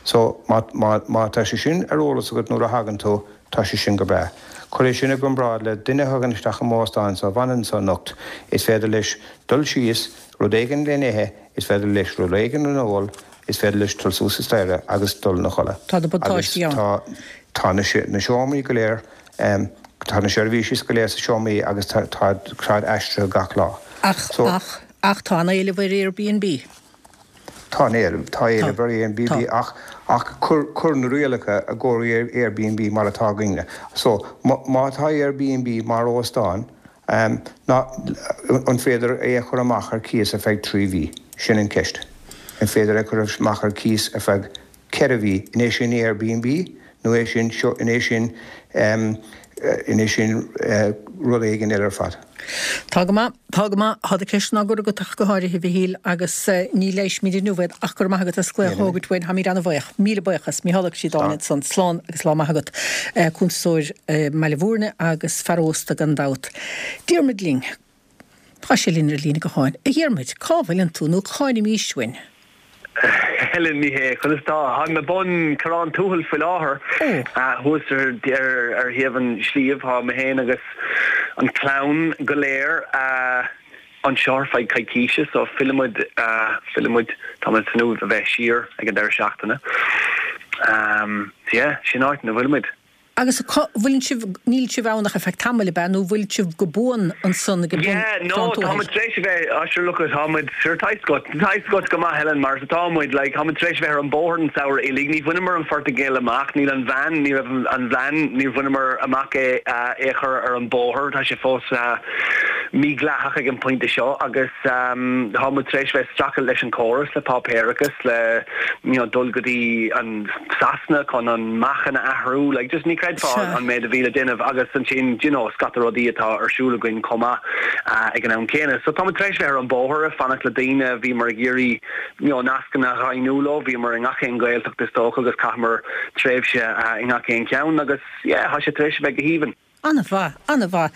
Speaker 5: So, má, má, má tá sé sin ar eolas agat nuair a thagann tú, tá sé sin go breá. Cuir é sin i gcomparáid le duine a thagann isteach i m'óstán so, a bhfanann anso anocht, is féidir leis dul síos, rud éigin le n-ithe, is féidir leis rud éigin le n-ól, is féidir leis dul suas an staighre agus dul ina chodladh.
Speaker 1: Tá na
Speaker 5: Agus
Speaker 1: buntáistí ann.
Speaker 5: tá, tá na, na seomraí go léir, tá na seirbhísí go léir sa seomraí agus tá, tá, táid aistrithe gach lá.
Speaker 1: Ach,
Speaker 5: So,
Speaker 1: ach, ach tá an-éileamh ar Airbnb.
Speaker 5: Tá an-éileamh, tá
Speaker 1: Tá,
Speaker 5: éileamh ar Airbnb
Speaker 1: tá.
Speaker 5: ach ach cuir cuir na rialacha i gcomhair Airbnb mar atá againne. So, má má tá Airbnb mar óstán, um, ná, an féidir é a chur amach ar cíos ar feadh trí mhí? Sin an ceist. An féidir é a chur amach ar cíos ar feadh ceithre mhí? An é sin Airbnb nó é sin seo, an é sin, um, an é sin uh, rud éigin eile ar fad?
Speaker 1: Tá go maith, tá go maith, tá do cheisteanna á gcur agat ach go háirithe, a Mhichíl, agus ní leighisfimid inniu iad ach go raibh maith agat as glaoch a thógaint uainn, táimid an-bhuíoch. Míle buíochas. Mícheál Ó Críodáin ansan. Slán agus lá maith agat. Cuntasóir i mBaile Mhúirne agus fear ósta gan dabht. Diarmuid linn. Tá sé linn ar líne gutháin. A Dhiarmuid, cá bhfuileann tú nó cáinimís uainn?
Speaker 6: Helen, ní hé, conas atá? Táim ag bun Corrán Tuathail faoi láthair, thuas ar ar thaobh an sliabh. Tá mé féin agus an clann go léir anseo ar feadh coicíse, so fillfimid, fillfimid, táimid ag tnúth a bheith siar ag an deireadh seachtaine. So yeah, sin áit ina bhfuilimid.
Speaker 1: Agus cá bhfuileann sibh, níl sibh ann ach ar feadh tamaill, ab ea, nó bhfuil sibh go buan ansan ag bun
Speaker 6: Yeah, no,
Speaker 1: Chrann
Speaker 6: tá
Speaker 1: Tuathail?
Speaker 6: muid tar éis a bheith, ah sure look it, tá muid, sure tá fhios agat, tá fhios agat go maith Helen mar is atá muid, like, tá muid tar éis a bheith ar an bóthar an samhradh uilig, ní bhaineamar an Phortaingéil amach, níl an veain, ní raibh an veain, níor bhaineamar amach é, é a chur ar an bóthar, tá sé fós mídhleathach ag an pointe seo agus tá muid tar éis a bheith ag streachailt leis an córas, le páipéarachas, le, you know, dul go dtí an. Sasana chun an meáchan a athrú, like just ní chreidfeá an méid a bhí le déanamh agus ansin do you know scata rudaí atá ar siúl againn chomh maith ag an am céanna. So táimid tar éis bheith ar an bóthar ag fanacht le daoine, bhíomar ag iarraidh you know nascanna a dhaingniú leo, bhíomar i ngach aon Ghaeltacht is dócha agus chaitheamar tréimhse i ngach aon cheann agus yeah tá sé tar éis a bheith go haoibhinn.
Speaker 1: An-mhaith, an-mhaith.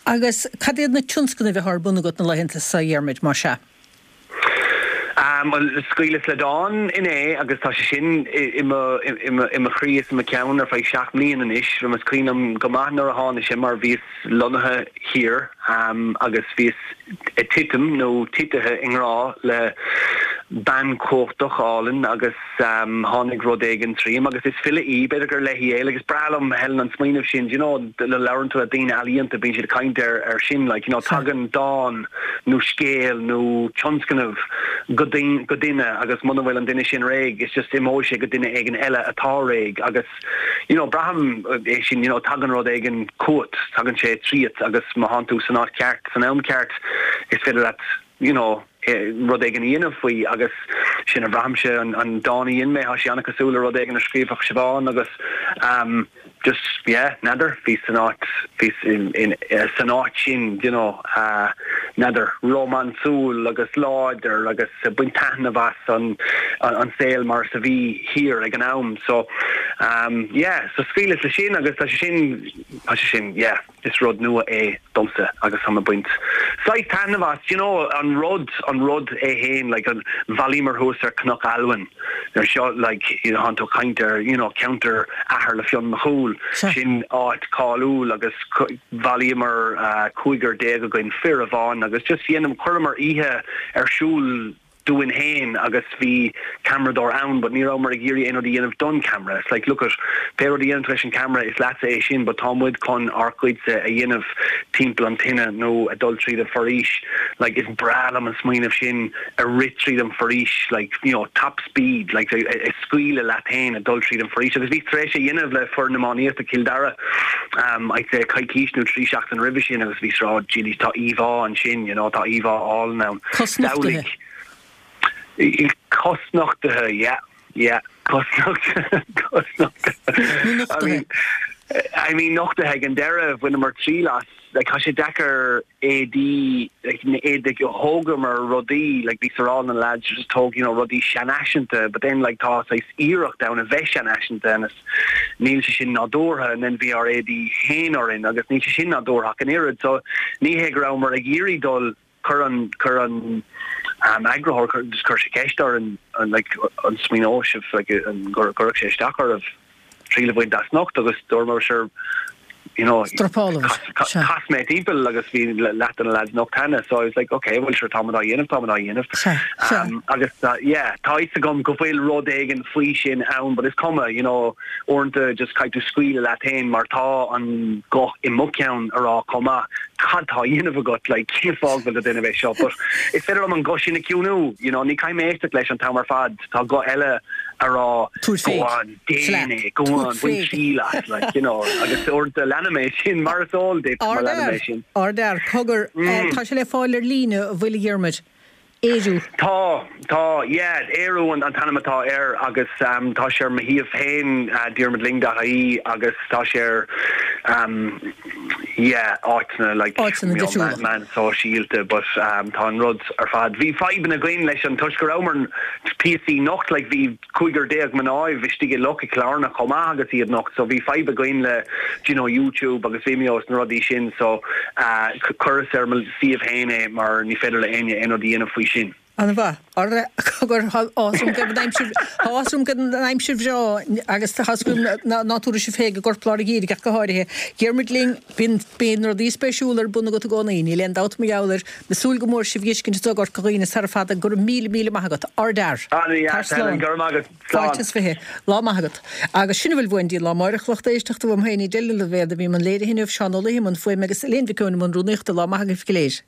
Speaker 1: Agus cad iad na tionscnaimh atá ar bun agat na laethanta seo, a Dhiarmuid, más ea?
Speaker 6: Bhuel, scaoileas le dán inné agus tá sé sin i mo i mo chroí is i mo cheann ar feadh seacht mbliana anois. Is cuimhin liom go maith nuair a tháinig sé mar bhíos lonnaithe thiar agus bhíos ag titim nó titithe i ngrá le bean chumhachtach álainn agus tháinig rud éigin tríom agus is file í, b'fhéidir gur léi é, like is breá liom Helen an smaoineamh sin, do you know, nuair a labhrann tú le daoine ealaíonta bíonn siad ag caint ar ar sin, like, you know, tagann dán nó scéal nó tionscnamh go go duine agus muna bhfuil an duine sin réidh it's just imeoidh sé go duine éigin eile atá réidh agus you know braithim é sin, you know, tagann rud éigin chugat, tagann sé tríot agus má thánn tú san áit cheart san am ceart is féidir leat you know, rud éigin a dhéanamh faoi agus sin a bhraithimse, an dán a dhein mé, tá sé an-cosúil le rud éigin a scríobhfadh Siobhán agus um just, yeah, n'fheadar, bhíos san áit, bhíos in, in, san áit sin, you know, uh, n'fheadar, rómánsúil agus láidir agus ag baint taitneamh as an, an, an saol mar is a bhí thiar ag an am, so um yeah, so scaoileas leis sin agus tá sé sin, tá sé sin, yeah. Is rud nua é domsa agus táim ag baint saghas taitneamh as. Do you know, an rud, an rud é fhéin, like an, bhailíomar thuas ar Cnoc Almhain ar seo, like, you know, thánn tú ag caint ar, you know, ceantar athar le Fionn Mac Cumhaill, sin áit cáiliúil agus bhailíomar cúigear déag againn, fir amháin agus just dhéanam, chuireamar oíche ar siúl, dúinn féin agus bhí ceamaradóir ann but ní rabhamar ag iarraidh aon rud a dhéanamh don camera. It's like look at pé rud a dhéanann tú leis an camera is leatsa é sin but tá muid chun ár gcuidse a dhéanamh timpeall an tine nó ag dul tríd an foraois like is breá liom an smaoineamh sin a rith tríd an foraois like you know top speed like ag scaoileadh leat féin ag dul tríd an foraois agus bhí tar éis a dhéanamh le foireann iománaíochta Cill Dara um I'd say coicís nó trí seachtain roimhe sin agus bhí sráid Gillies tá íomhá ansin you know tá íomhá álainn ann.
Speaker 1: Cosnochtaithe.
Speaker 6: Cosnochtaithe yeah yeah cosnochtaithe cosnochtaithe.
Speaker 1: Nó nochtaithe.
Speaker 6: I mean nochtaithe ag an deireadh bhaineamar triail as like tá sé deacair éadaí like na éadaí thógamar rudaí like bhí sar na lads just tóg you know rudaí seanfhaiseanta but then like tá saghas iarracht ann a bheith seanfhaiseanta and níl sé sin nádúrtha and then bhí ár éadaí féin orainn agus níl sé sin nádúrtha ach an oiread so ní hé go rabhamar ag iarraidh dul chuir an chuir an um, eagarthóir chuir just chuir sé ceist orainn an like an smaoineodh sibh like an gur gcuirfeadh sé isteach oraibh triail a bhaint as nocht agus dúramar sure you know
Speaker 1: Strapáil
Speaker 6: Chas mé timpeall agus bhí leath de na lads nocht cheana so I was like okay well sure táimid á dhéanamh táimid á dhéanamh um, agus uh, yeah tá fhios agam go bhfuil rud éigin faoi sin ann but is cuma you know uaireanta just caithfidh tú scaoileadh leat féin mar tá an guth i mo cheann a rá chomh maith cad tá á dhéanamh agat like cén fáth bhfuil tú ag déanamh é seo but is féidir liom an guth sin a chiúnú you know ní caithfidh mé éisteacht leis an t-am ar fad tá guth eile a rá
Speaker 1: go
Speaker 6: on déan é go on bain triail as like you know agus uaireanta leanaim é sin mar is eol duit mar leanaim é sin.
Speaker 1: Ardfhear, cogar, tá sé le fáil ar líne an bhfuil a Dhiarmuid? Ériú.
Speaker 6: Tá, tá, yeah, Ériú an an t-ainm atá air agus um, tá sé ar mo shuíomh féin uh, diarmuidlyng dot ie agus tá sé ar um, yeah, áiteanna like
Speaker 1: Áiteanna difriúla.
Speaker 6: meán sóisialta but um, tá an rud ar fad. Bhí fadhbanna againn leis an toisc go rabhamar píosaí nocht like bhí cúigear déag mná istigh i loch i gCill Airne chomh maith agus iad nocht so bhí fadhb againn le do you know, YouTube agus Vimeo is na rudaí sin so uh, chuireas ar mo suíomh féin é mar ní féidir le éinne aon rud a dhéanamh faoi sin.
Speaker 1: An-mhaith. Cogar tá súil agam go an aimsir bhreá agus tá súil agam nach dtabharfaidh sibh féin go Gort Lár Gheimhridh ach go háirithe. Diarmuid Lyng, bíonn bíonn rudaí spéisiúla ar bun agat i gcónaí, níl aon dabht mar gheall air. Tá súil go mór sibh a fheiscint i gCorca Dhuibhne sara fada go raibh míle míle maith agat. Ardfhear.
Speaker 6: An-dheas,
Speaker 1: Tar slán.
Speaker 6: Helen, go raibh maith agat. Slán.
Speaker 1: Fáilte is fiche. Lá maith agat. Agus sin a bhfuil uainn daoibh lá amárach lucht éisteachta uaim féin Edel Ní Loibhéad a bhí i mbun léirithe inniu, Seán Ó Laoi i mbun fuaime agus Elaine Mhic Eoin i mbun rúnaíochta. Lá maith agaibh go léir.